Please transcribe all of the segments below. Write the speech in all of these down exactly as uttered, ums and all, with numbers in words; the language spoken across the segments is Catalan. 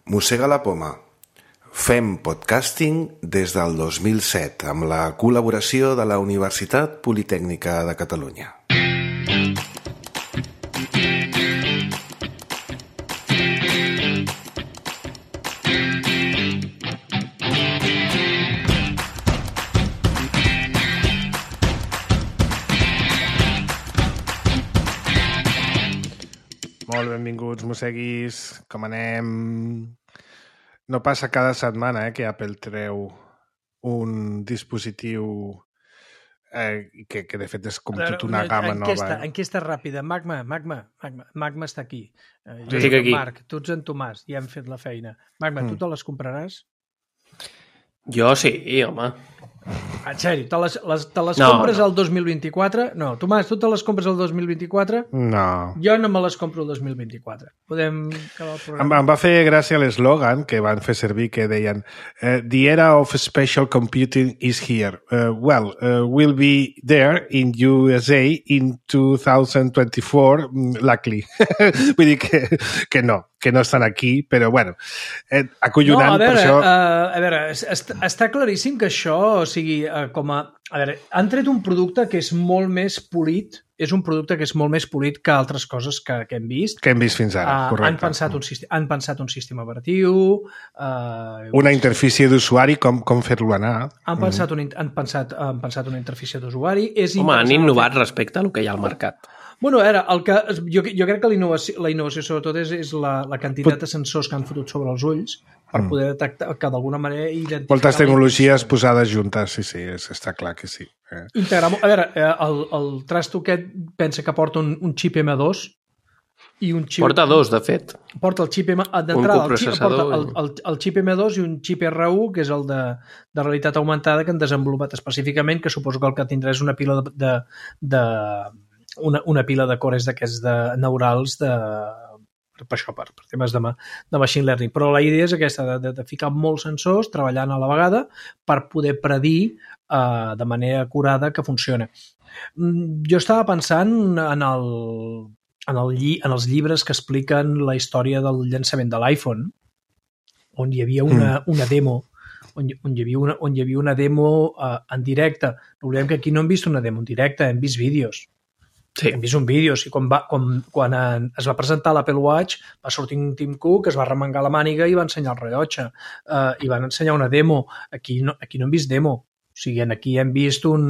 Mossega la poma. Fem podcasting des del dos mil set amb la col·laboració de la Universitat Politècnica de Catalunya. Molt benvinguts, mosseguis. Com anem? No passa cada setmana eh, que Apple treu un dispositiu eh, que, que de fet és com tota una gamma enquesta, nova. Eh? Enquesta ràpida. Magma, Magma, Magma, Magma està aquí. Eh, jo estic aquí. Marc, tu ets en Tomàs, ja hem fet la feina. Magma, mm. tu te les compraràs? Jo sí, home. En sèrio, te les, les, te les no, compres no. el dos mil vint-i-quatre? No, Tomàs, tu te les compres el dos mil vint-i-quatre? No. Jo no me les compro el dos mil vint-i-quatre. Podem acabar el programa? Em, em va fer gràcia l'eslògan que van fer servir que deien uh, The era of special computing is here. Uh, well, uh, we'll be there in U S A in two thousand twenty-four, luckily. Vull dir que, que no, que no estan aquí, però bueno, eh, acollonant no, a veure, per això... Uh, a veure, est està claríssim que això, o sigui, uh, com a... A veure, han tret un producte que és molt més polit, és un producte que és molt més polit que altres coses que, que hem vist. Que hem vist fins ara, uh, correcte. Han pensat un, han pensat un sistema operatiu... Uh, una interfície d'usuari, com, com fer-lo anar. Han pensat, un, han, pensat, han pensat una interfície d'usuari. Home, han innovat respecte al que hi ha al mercat. Bueno, era, el que, jo, jo crec que la innovació, la innovació sobretot és, és la, la quantitat de sensors que han fotut sobre els ulls per mm. poder detectar que d'alguna manera identificar... Moltes tecnologies posades juntes, sí, sí, és, està clar que sí. Eh. Integrar, a veure, el, el trasto aquest pensa que porta un, un xip M dos i un xip... Porta dos, de fet. Porta el xip M... D'entrada, el, xip, porta el, el, el xip M dos i un xip R u, que és el de, de realitat augmentada que han desenvolupat específicament, que suposo que el que tindrà és una pila de... de, de Una, una pila de cores d'aquests de neurals de, per això, per, per temes de, de machine learning. Però la idea és aquesta, de, de, de ficar molts sensors treballant a la vegada per poder predir uh, de manera acurada que funciona. Jo estava pensant en, el, en, el lli, en els llibres que expliquen la història del llançament de l'iPhone, on hi havia una, mm. una demo On hi, on, hi havia una, on hi havia una demo uh, en directe. No oblidem que aquí no hem vist una demo en directe, hem vist vídeos. Sí. Hem vist un vídeo, o sigui, quan, va, quan, quan es va presentar l'Apple Watch va sortir un Tim Cook, es va remengar la màniga i va ensenyar el rellotge uh, i van ensenyar una demo. Aquí no, aquí no hem vist demo, o sigui, aquí hem vist un...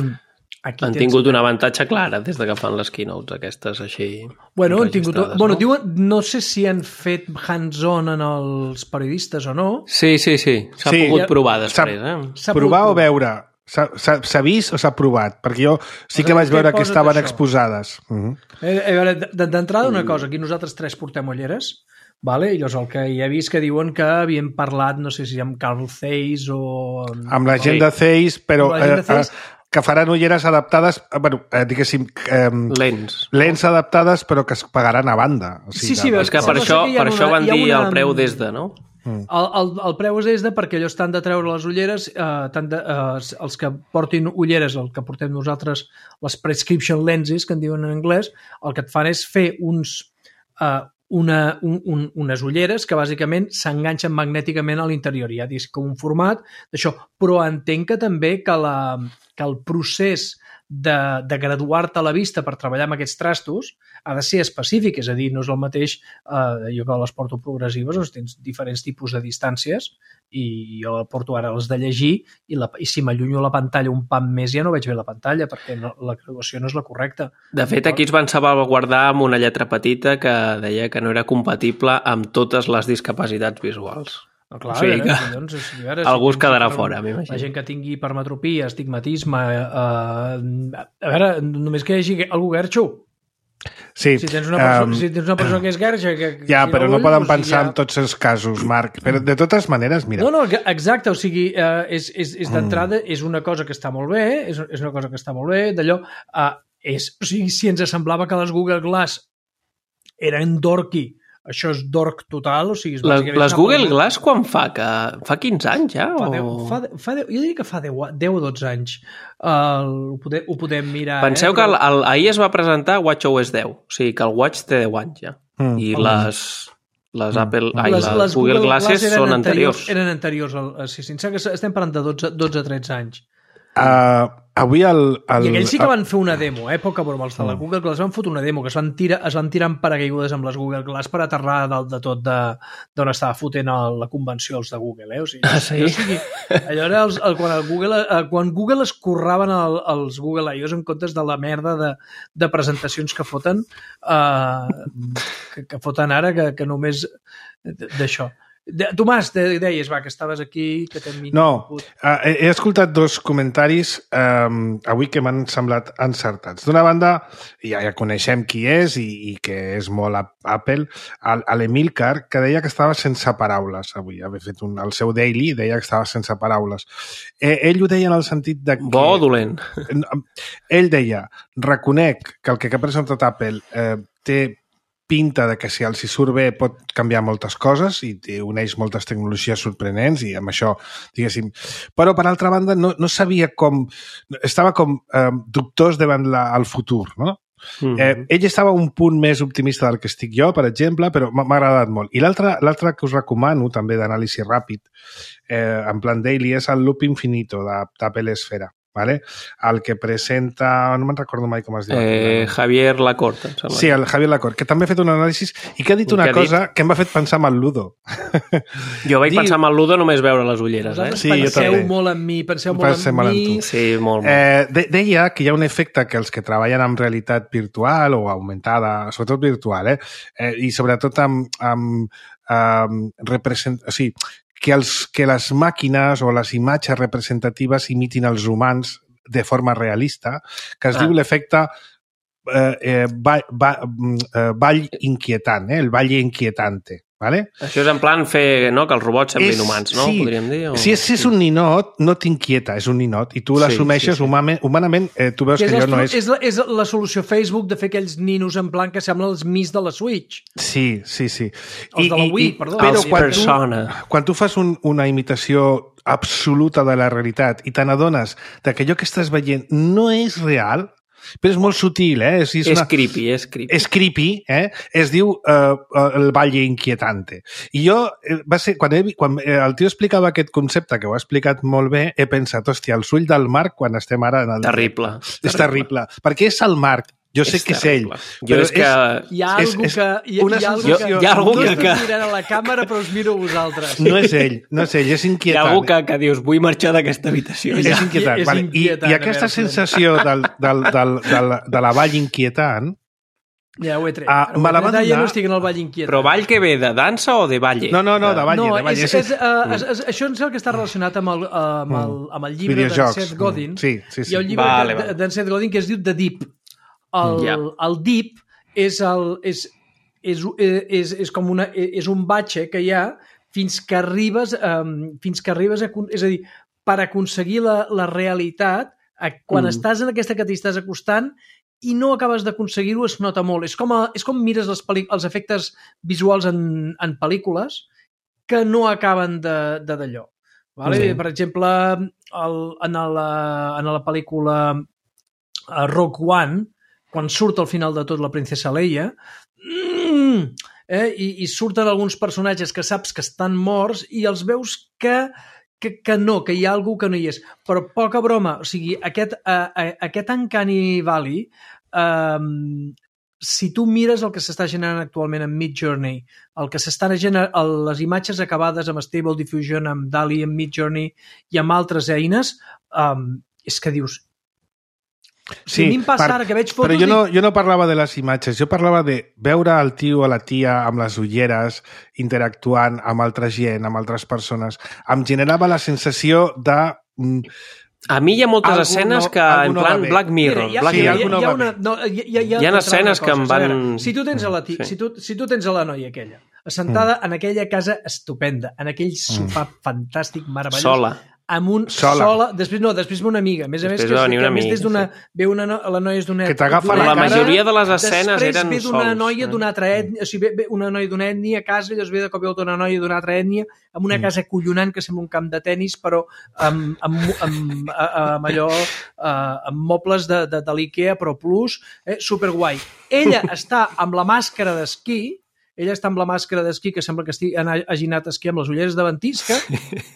Aquí han tens... tingut un avantatge clar des de que fan les keynotes aquestes així bueno, han tingut, bueno, no? Diuen, no sé si han fet hands-on en els periodistes o no. Sí, sí, sí, s'ha sí, pogut provar després. Eh? Provar o veure... S'ha vist o s'ha provat? Perquè jo sí que vaig veure que estaven exposades. Uh -huh. D'entrada, una cosa, aquí nosaltres tres portem ulleres, vale? I llavors el que hi he vist que diuen que havien parlat, no sé si amb Carl Zeiss o... Amb la gent de Zeiss, però... Eh, Zeiss, que faran ulleres adaptades, bueno, eh, diguéssim... Eh, lents. Lents adaptades, però que es pagaran a banda. O sigui, sí, sí, és que per això, per això van dir el preu des de, no? El, el, el preu és des de perquè allò estan de treure les ulleres, eh, tant de, eh, els que portin ulleres, el que portem nosaltres, les prescription lenses, que en diuen en anglès, el que et fan és fer uns, eh, una, un, un, unes ulleres que bàsicament s'enganxen magnèticament a l'interior. Ja dius com un format d'això, però entenc que també que, la, que el procés de, de graduar-te a la vista per treballar amb aquests trastos ha de ser específic, és a dir, no és el mateix, eh, jo que les porto progressives, doncs tens diferents tipus de distàncies i jo porto ara les de llegir i, la, i si m'allunyo la pantalla un pam més ja no veig bé la pantalla perquè no, la graduació no és la correcta. De fet, aquí es van salvaguardar amb una lletra petita que deia que no era compatible amb totes les discapacitats visuals. No, clar, o sigui que veure, doncs, veure, algú si es quedarà fora, m'imagino. La gent que tingui hipermetropia, estigmatisme... Eh, a veure, només que hi hagi algú guerxo. Sí, si tens una persona, um, si tens una persona que és guerxa... Que, ja, si però no, no poden pensar ja... en tots els casos, Marc. Però de totes maneres, mira... No, no, exacte, o sigui, eh, és, és, és d'entrada, és una cosa que està molt bé, és, és una cosa que està molt bé, d'allò... Eh, és, o sigui, si ens semblava que les Google Glass eren dorky, això és dork total, o sigui... Les, les Google Glass quan fa? Que fa quinze anys ja? Fa o... deu, fa, fa deu, jo diria que fa deu o dotze anys. Uh, ho, podem, ho podem mirar. Penseu eh? que el, el, ahir es va presentar WatchOS deu, o sigui que el Watch té deu anys ja. Mm. I les, Les, Apple, mm. ai, les, les, les Google, Google Glasses Glass són anteriors. anteriors. Eren anteriors, al, sí, sí, que estem parlant de dotze a tretze anys. Uh, avui el, el... I aquells sí que van fer una demo, eh? Poca broma, els de la Google Glass van fotre una demo, que es van tirar, es van tirar en paracaigudes amb les Google Glass per aterrar dalt de tot d'on estava fotent el, la convenció els de Google, eh? O sigui, ah, sí? O sigui, allò era els, el, quan, el Google, el, quan Google es curraven el, els Google I Os en comptes de la merda de, de presentacions que foten eh, que, que foten ara, que, que només d'això. De, Tomàs, de, deies, va, que estaves aquí, que t'hem... No, uh, he, he escoltat dos comentaris um, avui que m'han semblat encertats. D'una banda, ja, ja coneixem qui és i, i que és molt a Apple, l'Emilcar, que deia que estava sense paraules avui. Havia fet un, el seu daily, deia que estava sense paraules. Eh, ell ho deia en el sentit de que... Bo o dolent? Ell deia, reconec que el que ha presentat Apple eh, té pinta de que si els hi surt bé pot canviar moltes coses i uneix moltes tecnologies sorprenents i amb això, diguéssim. Però, per altra banda, no, no sabia com... Estava com eh, dubtós davant la, el futur, no? Mm-hmm. eh, ell estava un punt més optimista del que estic jo, per exemple, però m'ha agradat molt. I l'altre que us recomano, també d'anàlisi ràpid, eh, en plan daily, és el Loop Infinito d'Apple Esfera. Vale? El que presenta, no me'n recordo mai com es diu. Eh, Javier Lacorte. Sí, el Javier Lacorte, que també ha fet un anàlisi i que ha dit una que cosa dit? que m'ha fet pensar en el Ludo. Jo vaig Diu... pensar en el Ludo només veure les ulleres. Eh? Sí, penseu molt en mi, penseu molt penseu en molt mi. En tu. Sí, molt, molt. Eh, de, deia que hi ha un efecte que els que treballen amb realitat virtual o augmentada, sobretot virtual, eh? eh i sobretot amb, amb, amb represent... O sigui, que, els, que les màquines o les imatges representatives imitin els humans de forma realista, que es ah. diu l'efecte eh, eh, ball, ball, eh, ball inquietant, eh? El valle inquietante. Vale? Això és en plan fer, no?, que els robots semblin és, humans, no? Sí. Podríem dir? O... Si és, és un ninot, no t'inquieta, és un ninot, i tu l'assumeixes sí, sí, sí. humanament, humanament eh, tu veus que, que allò no és... És la, és la solució Facebook de fer aquells ninos en plan que semblen els Mis de la Switch. Sí, sí, sí. Els I, de la Wii, i, perdó. Però els quan persona. tu, quan tu fas un, una imitació absoluta de la realitat i te n'adones que allò que estàs veient no és real, però és molt sutil, eh? És, és, és una... creepy, és creepy. És creepy, eh? Es diu uh, el Valle Inquietante. I jo, va ser, quan, he, quan el tio explicava aquest concepte, que ho ha explicat molt bé, he pensat, hòstia, el ull del Marc quan estem ara... En el... Terrible. És terrible. terrible. Perquè és el Marc. Jo sé és que terrible. és ell. Jo és que... Hi ha algú que... Hi, una hi ha algú sensació... que... Hi ha algú no que... No mirant a la càmera, però us miro a vosaltres. No és ell, no és ell, és inquietant. Hi ha algú que, que dius, vull marxar d'aquesta habitació. És, és inquietant. És vale. inquietant. I, I aquesta sensació del, del, del, del, de la vall inquietant... Ja ho he tret. Uh, me la va donar... Ja no estic en el ball inquietant. Però ball que ve de dansa o de balle? No, no, no, de balle. No, de balle. És, és, uh, és, és, això és el que està relacionat amb el, uh, amb el, amb el llibre d'en Seth Godin. Mm. Sí, sí, sí. Hi ha un llibre vale, vale. d'en Seth Godin que es diu The Deep. El, yeah. el Deep és, el, és, és, és, és, com una, és un batxe que hi ha fins que arribes, um, fins que arribes a, és a dir, per aconseguir la, la realitat, a, quan mm. estàs en aquesta que t'hi estàs acostant i no acabes d'aconseguir-ho, es nota molt. És com, a, és com mires els, els efectes visuals en, en pel·lícules que no acaben de d'allò. Vale? Mm. Per exemple, el, en, la, en la pel·lícula Rogue One, quan surt al final de tot la princesa Leia, mm, eh, i, i surten alguns personatges que saps que estan morts i els veus que, que, que no, que hi ha algú que no hi és. Però poca broma, o sigui, aquest, uh, aquest Uncanny Valley, um, si tu mires el que s'està generant actualment en Midjourney, el que s'estan generant, les imatges acabades amb Stable Diffusion, amb D A L L-E, amb Midjourney i amb altres eines, um, és que dius, sí, a mi em passa ara que veig fotos... Però jo no, jo no parlava de les imatges, jo parlava de veure el tio o la tia amb les ulleres interactuant amb altra gent, amb altres persones. Em generava la sensació de... A mi hi ha moltes algú escenes no, que, en plan, no Black Mirror. Mira, Black sí, Mirror. Hi ha, hi ha, una, no, hi, hi, hi ha, hi ha escenes que em van... Veure, si tu tens a la, tia, sí. si tu, si tu tens a la noia aquella, assentada mm. en aquella casa estupenda, en aquell sofà mm. fantàstic, meravellós... Sola. Amb un sola. sola, després no, després ve una amiga, a més a més que, que a més des d'una sí. ve una la noia és d'una que t'agafa la, la majoria de les escenes després eren ve d'una sols, noia eh? d'una altra ètnia, o sigui, ve, ve una noia d'una ètnia a casa i després ve de cop i volta una noia d'una altra ètnia amb una mm. casa collonant que sembla un camp de tennis però amb, amb, amb, amb allò amb mobles de, de, de l'Ikea però plus, eh, superguai. Ella està amb la màscara d'esquí ella està amb la màscara d'esquí, que sembla que estigui, hagi anat a esquí amb les ulleres de ventisca,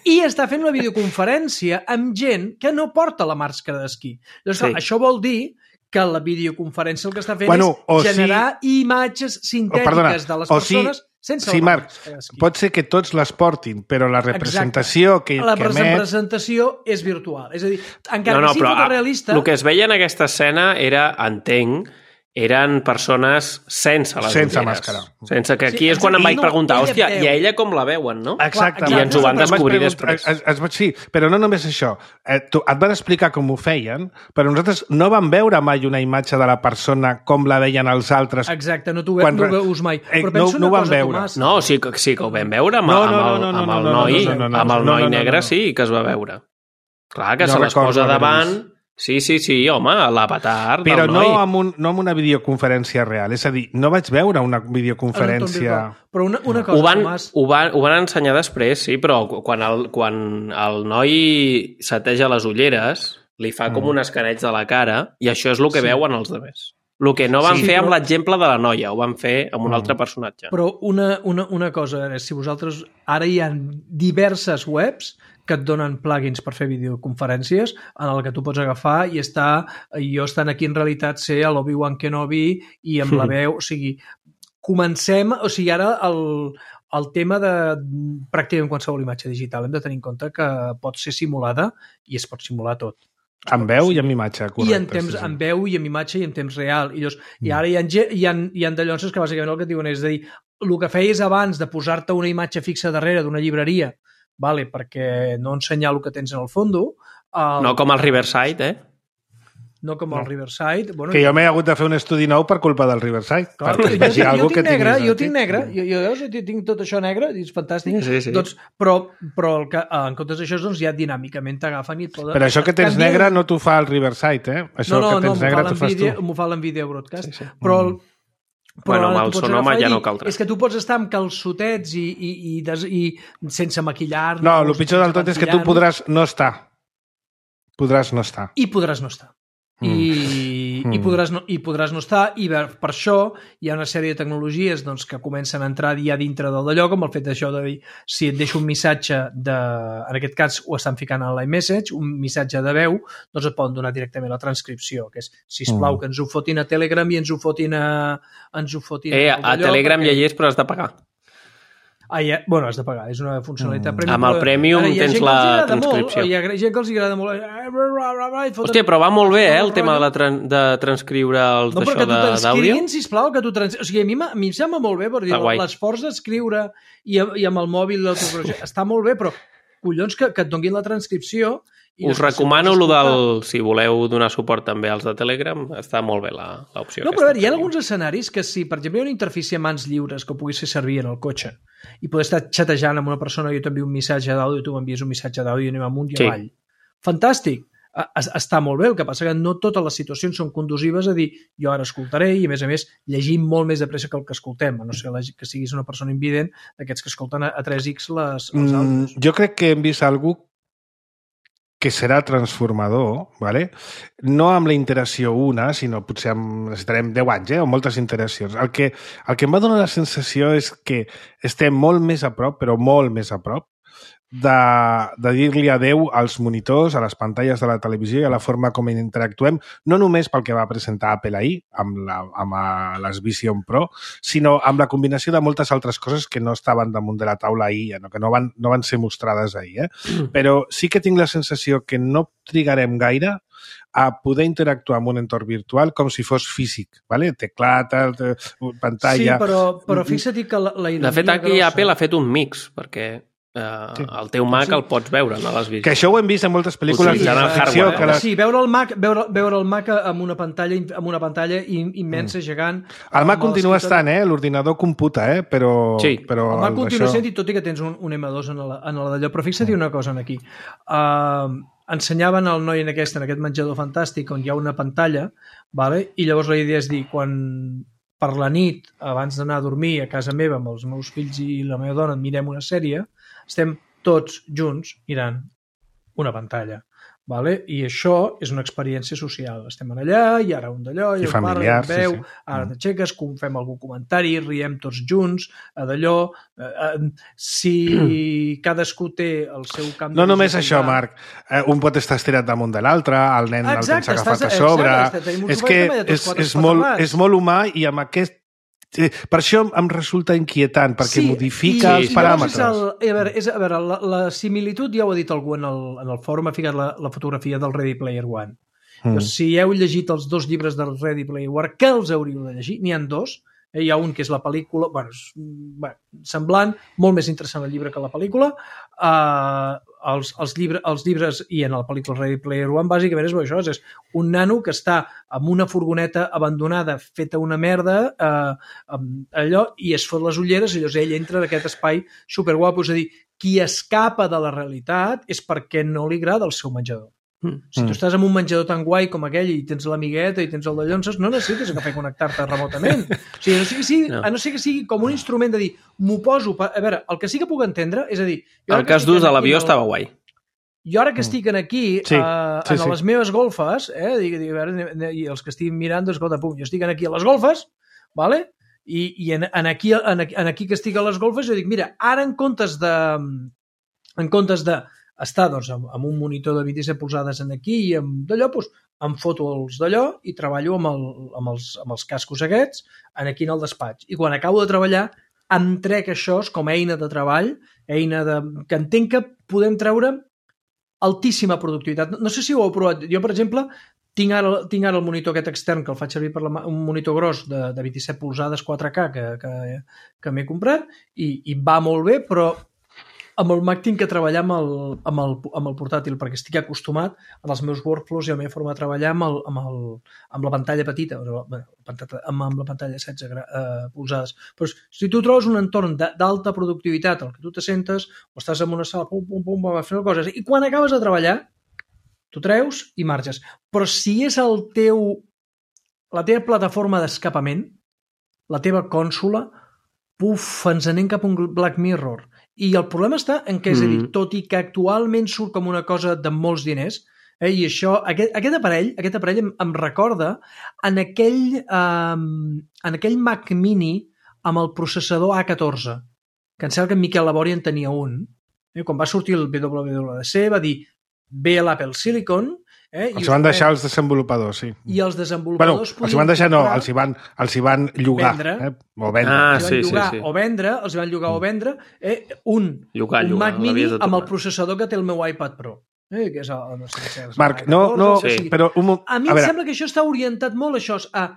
i està fent una videoconferència amb gent que no porta la màscara d'esquí. Llavors, sí. Això vol dir que la videoconferència el que està fent bueno, és generar si... imatges sintètiques perdona, de les persones si... sense sí, Marc, pot ser que tots les portin, però la representació Exacte. que, la que emet... La representació és virtual. És a dir, encara no, no, que sigui fotorealista... El que es veia en aquesta escena era, entenc, eren persones sense les sense ulleres. Màscara. Sense que aquí sí, és quan em vaig no, preguntar, hòstia, i a ella com la veuen, no? Exacte. I ens ho van descobrir després. Es, es, es, sí, però no només això. Eh, tu, et van explicar com ho feien, però nosaltres no vam veure mai una imatge de la persona com la veien els altres. Exacte, no t'ho ve, no veus mai. Però no, penso no una vam cosa, veure. Tomàs. No, sí, sí que ho vam veure amb, no, no, amb el, no, no, amb el noi, no, no, no, no, amb el noi no, no, negre no, no. sí que es va veure. Clar, que no se les posa davant... Sí, sí, sí, home, l'avatar del Però noi. no amb, un, no amb una videoconferència real. És a dir, no vaig veure una videoconferència... Però una, una cosa, ho van, Tomàs... Ho van, ho van ensenyar després, sí, però quan el, quan el noi seteja les ulleres, li fa com mm. un escaneig de la cara i això és el que sí. veuen els altres. El que no van sí, fer però... amb l'exemple de la noia, ho van fer amb un mm. altre personatge. Però una, una, una cosa, si vosaltres... Ara hi ha diverses webs que et donen plugins per fer videoconferències en el que tu pots agafar i estar, jo estant aquí en realitat ser a l'Obi-Wan Kenobi i amb mm. la veu, o sigui, comencem, o sigui, ara el, el tema de pràcticament qualsevol imatge digital hem de tenir en compte que pot ser simulada i es pot simular tot. Amb veu i amb imatge, correcte. I en temps, sí, sí. amb veu i amb imatge i en temps real. I, llavors, mm. i ara hi ha, hi ha, hi ha dallonses que bàsicament el que et diuen és a dir, el que feies abans de posar-te una imatge fixa darrere d'una llibreria, vale, perquè no ensenyar el que tens en el fondo... El... No com el Riverside, eh? No com el Riverside. Bueno, que jo m'he hagut de fer un estudi nou per culpa del Riverside. Clar, jo, jo, jo, tinc negre, jo tinc negre, jo, jo, jo tinc tot això negre, i és fantàstic. Sí, sí. Doncs, però però el que, en comptes d'això, doncs, ja dinàmicament t'agafen i et poden... Però això que tens negre no t'ho fa el Riverside, eh? Això no, no, que tens no, negre t'ho fas tu. M'ho fa l'Nvidia Broadcast. Sí, sí. Però... El, Però bueno, amb el Sonoma ja no cal res. És que tu pots estar amb calçotets i, i, i, des, i sense maquillar... No, el pitjor del tot és que tu podràs no estar. Podràs no estar. I podràs no estar. Mm. I, mm. i, podràs no, i podràs no estar, i per això hi ha una sèrie de tecnologies doncs, que comencen a entrar ja dintre del d'allò, com el fet d'això de dir, si et deixo un missatge de, en aquest cas ho estan ficant a l'iMessage, un missatge de veu, doncs et poden donar directament la transcripció, que és, sisplau, mm. que ens ho fotin a Telegram i ens ho fotin a... Ens ho fotin eh, a, a Telegram perquè... ja hi és, però has de pagar. Ah, ja, bueno, has de pagar, és una funcionalitat mm. premium. Amb el Premium ara, tens la transcripció. Molt, hi ha gent que els agrada molt. Hòstia, però va molt bé, eh, el tema de, la tran de transcriure els no, d'això d'àudio. No, perquè tu sisplau, que tu trans... O sigui, a mi, a mi em sembla molt bé, per dir, l'esforç d'escriure i, i amb el mòbil està molt bé, però collons que, que et donguin la transcripció. Us recomano lo del, si voleu donar suport també als de Telegram, està molt bé l'opció. No, però a veure, hi ha alguns escenaris que si, per exemple, hi ha una interfície a mans lliures que puguis fer servir en el cotxe i poder estar xatejant amb una persona, jo t'envio un missatge d'àudio, tu m'envies un missatge d'àudio i anem amunt i sí. avall. Fantàstic! Està molt bé, el que passa que no totes les situacions són condusives a dir jo ara escoltaré i, a més a més, llegim molt més de pressa que el que escoltem, a no ser que siguis una persona invident d'aquests que escolten a tres ics les, els àudios. Mm, jo crec que hem vist algú que serà transformador, ¿vale? No amb la interacció una, sinó potser amb, necessitarem deu anys, eh? O moltes interaccions. El que, el que em va donar la sensació és que estem molt més a prop, però molt més a prop, de, de dir-li adeu als monitors, a les pantalles de la televisió i a la forma com interactuem, no només pel que va presentar Apple ahir, amb, la, amb les Vision Pro, sinó amb la combinació de moltes altres coses que no estaven damunt de la taula ahir, no? Que no van, no van ser mostrades ahir. Eh? Mm. Però sí que tinc la sensació que no trigarem gaire a poder interactuar amb un entorn virtual com si fos físic, ¿vale? Teclat, pantalla... Sí, però, però fixa't que la, la ironia... De fet, aquí grossa... Apple ha fet un mix, perquè... Uh, sí. El teu Mac sí. el pots veure, no l'has vist. Que això ho hem vist en moltes pel·lícules sí, de ficció. Que la... Sí, veure el Mac, veure, veure el Mac amb una pantalla, amb una pantalla immensa, mm. gegant. El Mac continua estant, eh? L'ordinador computa, eh? Però, sí. però el Mac continua això... sent, i tot i que tens un, un ema dos en la, en la d'allò. Però fixa't mm. una cosa aquí. Uh, ensenyaven al noi en aquest, en aquest menjador fantàstic on hi ha una pantalla, vale? I llavors la idea és dir, quan per la nit, abans d'anar a dormir a casa meva amb els meus fills i la meva dona, mirem una sèrie, estem tots junts mirant una pantalla. Vale? I això és una experiència social. Estem allà, i ara un d'allò, i, I familiar, parla, veu, sí, sí. ara t'aixeques, fem algun comentari, riem tots junts, d'allò. Eh, eh, si cadascú té el seu camp... No només això, Marc. Eh, un pot estar estirat damunt de l'altre, el nen el tens agafat a sobre... És que és, és, molt, és molt humà i amb aquest... Per això em resulta inquietant, perquè sí, modifica i, els paràmetres. El, a veure, és, a veure la, la similitud, ja ho ha dit algú en el, en el fòrum, ha ficat la, la fotografia del Ready Player One. Mm. Doncs, si heu llegit els dos llibres del Ready Player One, que els hauríeu de llegir, n'hi ha dos. Eh, hi ha un que és la pel·lícula, bueno, és, bueno, semblant, molt més interessant el llibre que la pel·lícula. Uh, els, els, llibre, els llibres, i en la pel·lícula Ready Player One, bàsicament és això, és un nano que està amb una furgoneta abandonada, feta una merda, eh, allò, i es fot les ulleres, i llavors ell entra en aquest espai superguapo. És a dir, qui escapa de la realitat és perquè no li agrada el seu menjador. Mm. Si tu estàs en un menjador tan guai com aquell i tens l'amigueta i tens el de llonses, no necessites agafar i connectar-te remotament. O sigui, no sé que sigui, no. A no ser que sigui com un instrument de dir, m'ho poso... Per... A veure, el que sí que puc entendre és a dir... El cas d'ús de l'avió estava guai. Jo ara que estic aquí, sí, uh, sí, en sí. les meves golfes, eh, dic, dic, a veure, i els que estic mirant, doncs, escolta, pum, jo estic aquí a les golfes, vale? i, i en, en, aquí, en, en aquí que estic a les golfes, jo dic, mira, ara en comptes de... En comptes de estar doncs, amb, amb un monitor de vint-i-set polzades en aquí i amb d'allò, doncs, em foto els d'allò i treballo amb, el, amb, els, amb els cascos aquests en aquí en el despatx. I quan acabo de treballar em trec això com a eina de treball, eina de, que entenc que podem treure altíssima productivitat. No, no sé si ho heu provat. Jo, per exemple, tinc ara, tinc ara el monitor aquest extern que el faig servir per la, un monitor gros de, de vint-i-set polzades quatre K que, que, que m'he comprat i, i va molt bé, però amb el Mac tinc que treballar amb el, amb, el, amb el portàtil perquè estic acostumat en els meus workflows i a la meva forma de treballar amb, el, amb, el, amb la pantalla petita, amb, amb la pantalla setze eh, polzades. Però si tu trobes un entorn d'alta productivitat, el que tu te sentes, o estàs en una sala, pum, pum, pum, vas fent coses, i quan acabes de treballar, tu treus i marxes. Però si és el teu, la teva plataforma d'escapament, la teva cònsola, puf, ens anem cap a un Black Mirror. I el problema està en què, és a dir, tot i que actualment surt com una cosa de molts diners, eh, i això, aquest, aquest aparell, aquest aparell em, em recorda en aquell, um, en aquell Mac Mini amb el processador A catorze, que em sembla que en Miquel Labori en tenia un. Eh, quan va sortir el W W D C va dir, ve l'Apple Silicon, Eh? Els van deixar els desenvolupadors, sí. I els desenvolupadors... Bueno, els van deixar, no, els hi van, els hi van llogar. Vendre. Eh? O vendre. Ah, els sí, van llogar sí, sí. o vendre, els van llogar o vendre, eh? un, llogar, un llogar, Mac Mini amb el processador que té el meu iPad Pro. Eh? Que és el, no sé, és Marc, no, no, sí. o sigui, però... Un, a mi a em veure. sembla que això està orientat molt això, a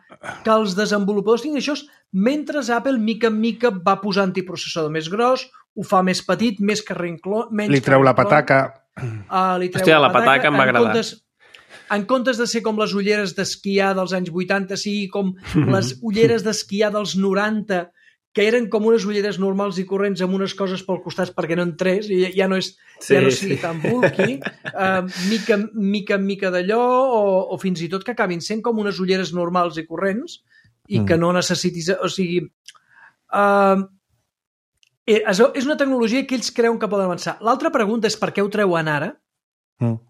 que els desenvolupadors tinguin això, mentre Apple, mica en mica, va posant-hi processador més gros, ho fa més petit, més carrincló, menys li treu la pataca. Uh, li treu Hòstia, la la pataca em va agradar. Comptes, en comptes de ser com les ulleres d'esquiar dels anys vuitanta, sigui com les ulleres d'esquiar dels noranta, que eren com unes ulleres normals i corrents amb unes coses pel costat perquè no entrés, i ja no, és, sí, ja no sigui sí. tan bulky, uh, mica, mica en mica d'allò, o, o fins i tot que acabin sent com unes ulleres normals i corrents, i mm. que no necessitis... O sigui... Uh, és, és una tecnologia que ells creuen que poden avançar. L'altra pregunta és per què ho treuen ara? Mm.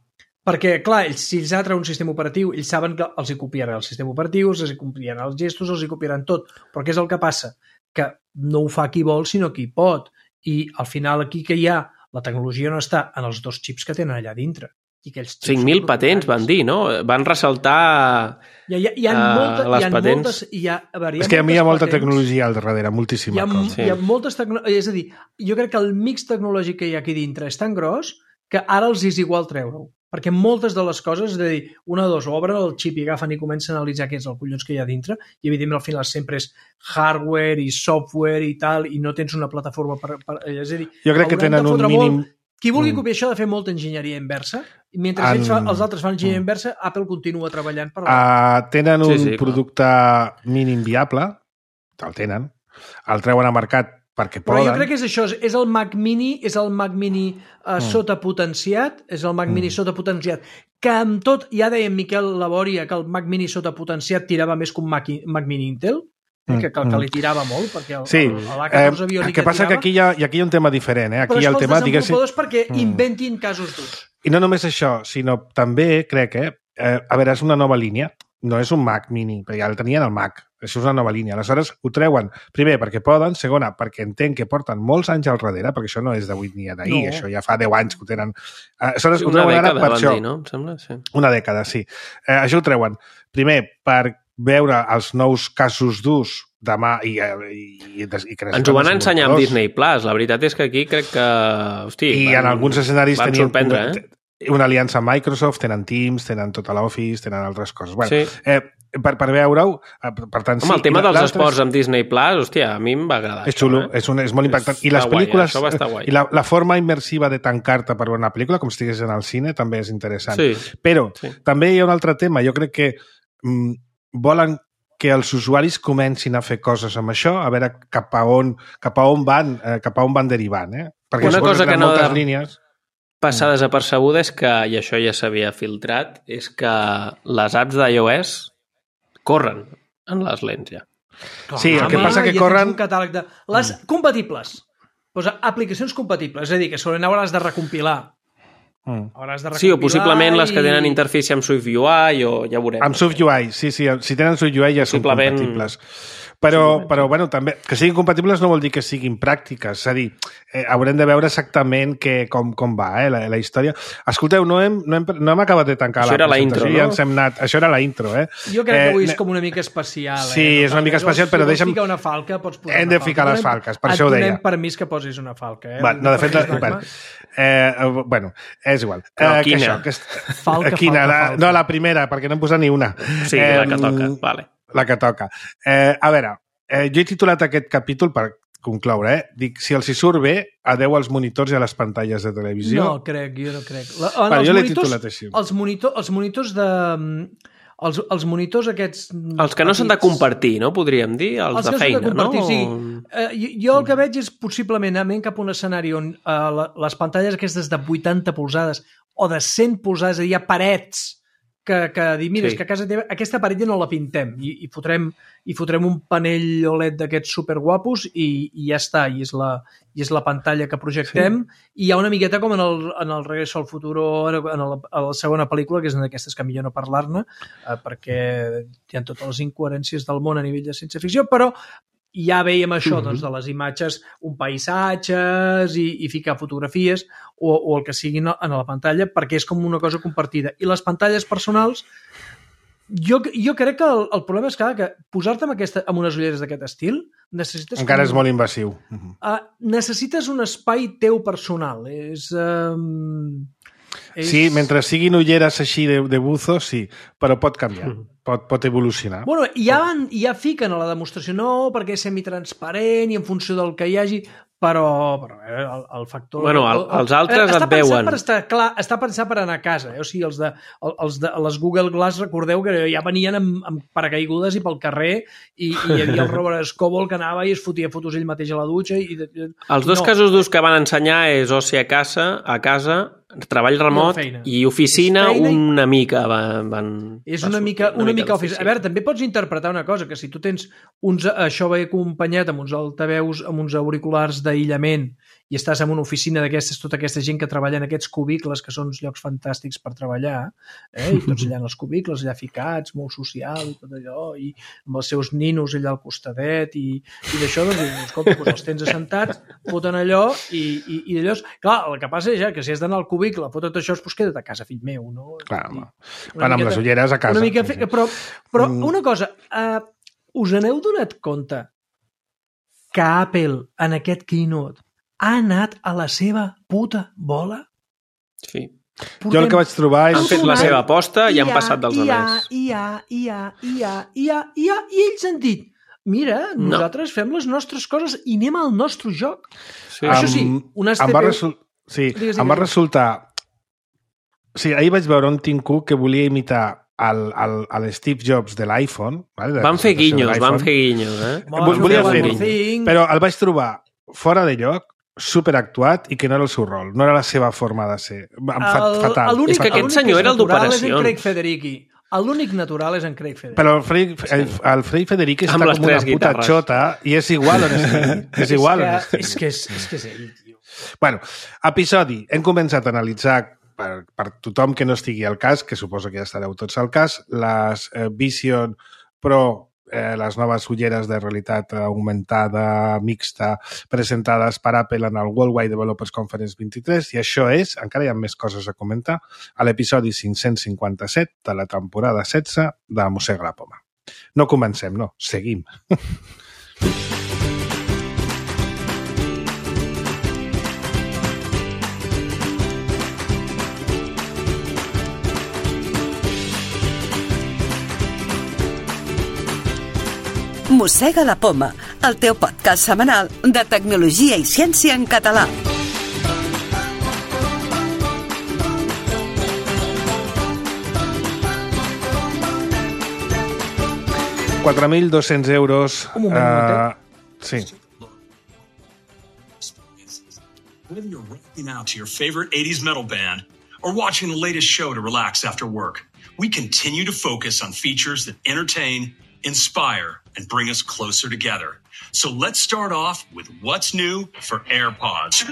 Perquè, clar, ells, si ells han tret un sistema operatiu, ells saben que els hi copiaran el sistema operatiu, els hi copiaran els gestos, els hi copiaran tot. Però què és el que passa? Que no ho fa qui vol, sinó qui pot. I al final aquí que hi ha, la tecnologia no està en els dos xips que tenen allà dintre. cinc mil patents van dir, no? Van ressaltar hi ha, hi ha, hi ha uh, molta, les hi ha patents. Moltes, hi ha, a veure, hi ha és que a mi hi ha molta patents, tecnologia al darrere, moltíssima hi ha, cosa. Sí. Hi ha moltes tecnologies, és a dir, jo crec que el mix tecnològic que hi ha aquí dintre és tan gros que ara els és igual treure-ho. Perquè moltes de les coses, és a dir, una o dos, obren el xip i agafen i comencen a analitzar què és el collons que hi ha dintre, i evidentment al final sempre és hardware i software i tal, i no tens una plataforma per... per és a dir, jo crec que tenen un mínim... Molt, qui vulgui copiar això ha de fer molta enginyeria inversa, i mentre en... ells fa, els altres fan enginyeria inversa, Apple continua treballant per la... Uh, tenen un sí, sí, producte clar. mínim viable, el tenen, el treuen a mercat perquè poden. Però jo crec que és això, és el Mac Mini, és el Mac Mini uh, mm. sotapotenciat, és el Mac mm. Mini sotapotenciat, que amb tot, ja deia Miquel Laboria que el Mac Mini sotapotenciat tirava més que un Mac, Mac Mini Intel, mm. que, que, que li tirava molt, perquè el, sí. el, el A catorze eh, el que passa tirava. Que aquí hi, ha, i aquí hi ha un tema diferent, eh? Aquí però hi ha el tema, diguéssim... diguéssim... perquè mm. inventin casos durs. I no només això, sinó també, crec, eh, eh, a veure, és una nova línia, no és un Mac mini, perquè ja el tenien el Mac, això és una nova línia. Aleshores, ho treuen, primer, perquè poden, segona, perquè entenc que porten molts anys al darrere, perquè això no és d'avui ni d'ahir, no. Això ja fa deu anys que ho tenen. Aleshores, sí, ho treuen ara per això. Dir, no? Em sembla, sí. Una dècada, sí. Eh, això ho treuen, primer, per veure els nous casos d'ús demà i, i, i, i que ens ho van ensenyar amb Disney Plus. La veritat és que aquí crec que... Hosti, I van, en alguns escenaris van tenien sorprendre, eh? una aliança amb Microsoft, tenen Teams, tenen tota l'Office, tenen altres coses. Bueno, sí. eh, per, per veure-ho, per tant... Home, sí, el tema dels esports amb Disney Plus, hòstia, a mi em va agradar. És xulo, eh? és, un, és molt impactant. I les pel·lícules... Guai, I la, la forma immersiva de tancar-te per veure una pel·lícula, com si estigués en el cine, també és interessant. Sí. Però sí. també hi ha un altre tema. Jo crec que mm, volen que els usuaris comencin a fer coses amb això, a veure cap a on, cap a on van, eh, cap a on van derivant, eh? Perquè una cosa que no moltes de... línies... passar desapercebuda és que, i això ja s'havia filtrat, és que les apps d'iOS corren en les lents ja. Sí, el que passa que ja corren... un catàleg de... Les mm. compatibles. Posa aplicacions compatibles, és a dir, que segurament hauràs de recompilar. Mm. Hauràs de sí, o possiblement i... les que tenen interfície amb SwiftUI o ja veurem. Amb SwiftUI, sí, sí. Si tenen SwiftUI ja són compatibles. Però, però bueno, també, que siguin compatibles no vol dir que siguin pràctiques. És a dir, eh, haurem de veure exactament que, com, com va eh, la, la història. Escolteu, no hem, no hem, no hem acabat de tancar això la intro, presentació. no? Ja ens hem anat. Això era la intro, eh? Jo crec que avui eh, és com una mica especial. Eh? Sí, és una mica especial, però deixa'm... Si vols ficar una falca, pots posar hem de ficar les falques, per això ho deia. Et donem permís que posis una falca. Eh? Va, no, de fet, la... bueno, eh, bueno, és igual. Però eh, quina? Això, que és... Falca, quina? falca, la... falca. No, la primera, perquè no em posa ni una. Sí, eh, la que toca, vale. La que toca. Eh, a veure, eh, jo he titulat aquest capítol per concloure, eh? Dic, si els hi surt bé, adeu als monitors i a les pantalles de televisió. No, crec, jo no crec. La, Però jo l'he titulat així. Els, monitor, els monitors de... Els, els monitors aquests... Els que no s'han de compartir, no? Podríem dir, els, els de feina, de compartir, no? Sí. Eh, jo, jo el que veig és possiblement anar cap a un escenari on eh, la, les pantalles aquestes de vuitanta polzades o de cent polzades, és a dir, hi ha parets que, que dir, mira, sí. és que a casa teva aquesta paret ja no la pintem i, i, fotrem, i fotrem un panell O L E D d'aquests superguapos i, i ja està, i és la, i és la pantalla que projectem sí. I hi ha una miqueta com en el, en el Regreso al Futuro, en, el, en la segona pel·lícula, que és una d'aquestes que millor no parlar-ne, eh, perquè hi ha totes les incoherències del món a nivell de ciència-ficció, però ja veiem això, mm-hmm. doncs, de les imatges, un paisatges i, i ficar fotografies o, o el que sigui en la pantalla, perquè és com una cosa compartida. I les pantalles personals, jo, jo crec que el, el problema és que, que posar-te amb, aquesta, amb unes ulleres d'aquest estil necessites... Encara com, és molt invasiu. Uh, necessites un espai teu personal. És... Um, és... Sí, mentre siguin ulleres així de, de buzo, sí, però pot canviar. Mm. Pot, pot evolucionar. Bueno, ja, van, ja fiquen a la demostració, no, perquè és semitransparent i en funció del que hi hagi, però, però el, el factor... Bueno, el, els altres el, et veuen. Per estar, clar, està pensat per anar a casa. Eh? O sigui, els de, els de les Google Glass, recordeu que ja venien amb, amb paracaigudes i pel carrer i, i hi havia el Robert Scoble que anava i es fotia fotos ell mateix a la dutxa. I, i, els dos no. casos d'ús que van ensenyar és oci a casa, a casa, treball remot i oficina una mica van, van és una mica, una, una mica oficina. A veure, també pots interpretar una cosa, que si tu tens uns, això va acompanyat amb uns altaveus, amb uns auriculars d'aïllament i estàs en una oficina d'aquestes, tota aquesta gent que treballa en aquests cubicles, que són uns llocs fantàstics per treballar, eh? I tots allà en els cubicles, allà ficats, molt social i tot allò, i amb els seus ninos allà al costadet i, i d'això, doncs, escolta, doncs els tens assentats, foten allò i, i, i d'allò... Clar, el que passa és ja que si has d'anar al cubicle, foten tot això, doncs queda't a casa, fill meu, no? Clar, home. Van amb les ulleres a casa. Una mica, però, però una cosa, uh, us n'heu donat compte que Apple en aquest keynote ha anat a la seva puta bola? Sí. Portem... Jo el que vaig trobar és... Han fet la seva aposta i, i han passat dels altres. I ha, i ha, i ha, i ha, i ha, i ells han dit, mira, nosaltres no. fem les nostres coses i anem al nostre joc. Sí. Això sí, unes T P U... Em va, resul... sí, digues, digues. Em va resultar... Sí, ahir vaig veure un Tim Cook que volia imitar el, el, el Steve Jobs de l'iPhone. Vale? Van fer guinyos, van fer guinyos. Eh? Bon, volia fer-ho, però el vaig trobar fora de lloc, superactuat i que no era el seu rol, no era la seva forma de ser. Em fa, el, fatal. És que aquest senyor era el d'operacions. És en Craig Federici. L'únic natural és en Craig Federici. Però el Craig, el, el Craig Federici està com una puta guitarres. Xota i és igual on estigui. És igual és on que, estigui. És que és, és que és ell, tio. Bueno, episodi. Hem començat a analitzar per, per tothom que no estigui al cas, que suposo que ja estareu tots al cas, les eh, Vision Pro, eh, les noves ulleres de realitat augmentada mixta presentades per Apple en el Worldwide Developers Conference vint-i-tres, i això és, encara hi ha més coses a comentar, a l'episodi cinc-cents cinquanta-set de la temporada setze de Mossega la Poma. No comencem, no, seguim. Mossega la Poma, el teu podcast setmanal de tecnologia i ciència en català. quatre mil dos-cents euros. Un moment, un moment. Uh, sí. Whether you're rocking out to your favorite eighties metal band or watching the latest show to relax after work, we continue to focus on features that entertain, inspire, and bring us closer together. So let's start off with what's new for AirPods.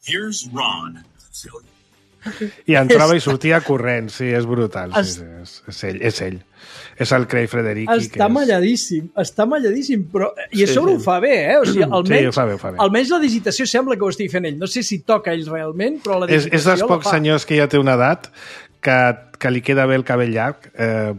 Here's Ron. I entrava i sortia corrent, sí, és brutal. Sí, sí, és, és ell, és ell. És el Craig Federighi. Està és... malladíssim, està malladíssim, però... I a sí, sobre sí. ho fa bé, eh? O sigui, almenys, sí, ho fa bé, ho fa bé. almenys la digitació sembla que ho estigui fent ell. No sé si toca ell realment, però la digitació és, és dels pocs senyors que ja té una edat que, que li queda bé el cabell llarg. Eh,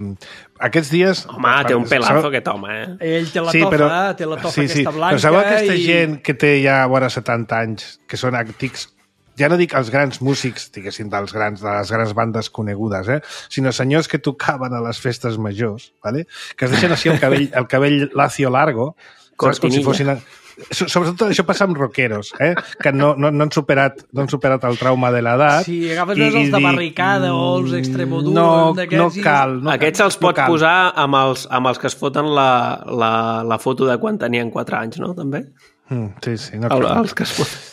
aquests dies... Home, té un pelazo aquest home, eh? Ell té la sí, tofa, però, té la tofa sí, sí. aquesta blanca... Però sabeu aquesta i... gent que té ja vora setanta anys, que són antics, ja no dic els grans músics, diguéssim, dels grans, de les grans bandes conegudes, eh? Sinó senyors que tocaven a les festes majors, ¿vale? Que es deixen així el cabell, el cabell lacio largo, saps? Com si fossin... Sobretot això passa amb rockeros, eh? Que no, no, no, han superat, no han superat el trauma de l'edat. Sí, agafes i, els de barricada o els extremoduro... No, no cal. No Aquests cal, els pots no posar amb els, amb els que es foten la, la, la foto de quan tenien quatre anys, no? També? Mm, sí, sí. No el, cal. Els que es foten.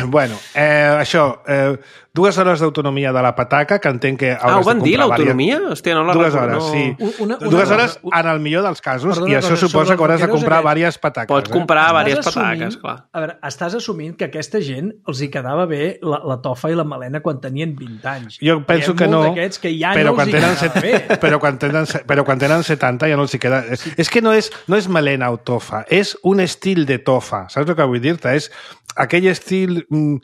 Bueno, eh, això, eh, dues hores d'autonomia de la pataca, que entenc que Ah, ho van dir, l'autonomia? Hòstia, no la Dues recordo, hores, no. sí. Una, una, dues hores una, en el millor dels casos, Perdona, i això cosa, suposa que hauràs de comprar aquests, diverses pataques. Pots comprar eh? diverses assumint, pataques, clar. A veure, estàs assumint que aquesta gent els hi quedava bé la, la tofa i la melena quan tenien vint anys. Jo penso que no, que ja però, no quan tenen set, bé. però, quan tenen, però quan tenen setanta ja no els hi queda... Sí. És que no és, no és melena o tofa, és un estil de tofa. Saps el que vull dir-te? És aquell estil... Mm,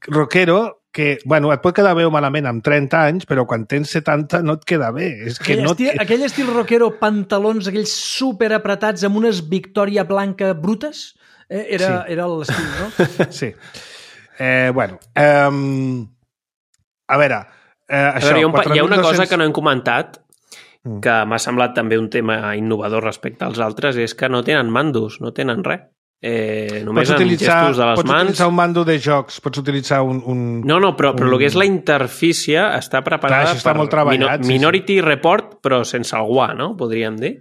rockero que, bueno, et pot quedar bé o malament amb trenta anys, però quan tens setanta no et queda bé. És que aquell, no estil, aquell estil rockero, pantalons, aquells super apretats amb unes Victòria blanca brutes, eh? era, sí. era l'estil, no? Sí. Eh, bueno, eh, a veure, eh, això... A veure, hi ha, un, hi ha una cosa quatre mil dos-cents que no hem comentat, que m'ha semblat també un tema innovador respecte als altres, és que no tenen mandos, no tenen res. Eh, només amb gestos de les pots mans. Pots utilitzar un mando de jocs, pots utilitzar un... un no, no, però, però un... el que és la interfície està preparada Clar, està per molt treballat, Mino- Minority sí, sí. Report, però sense el guà, no? Podríem dir.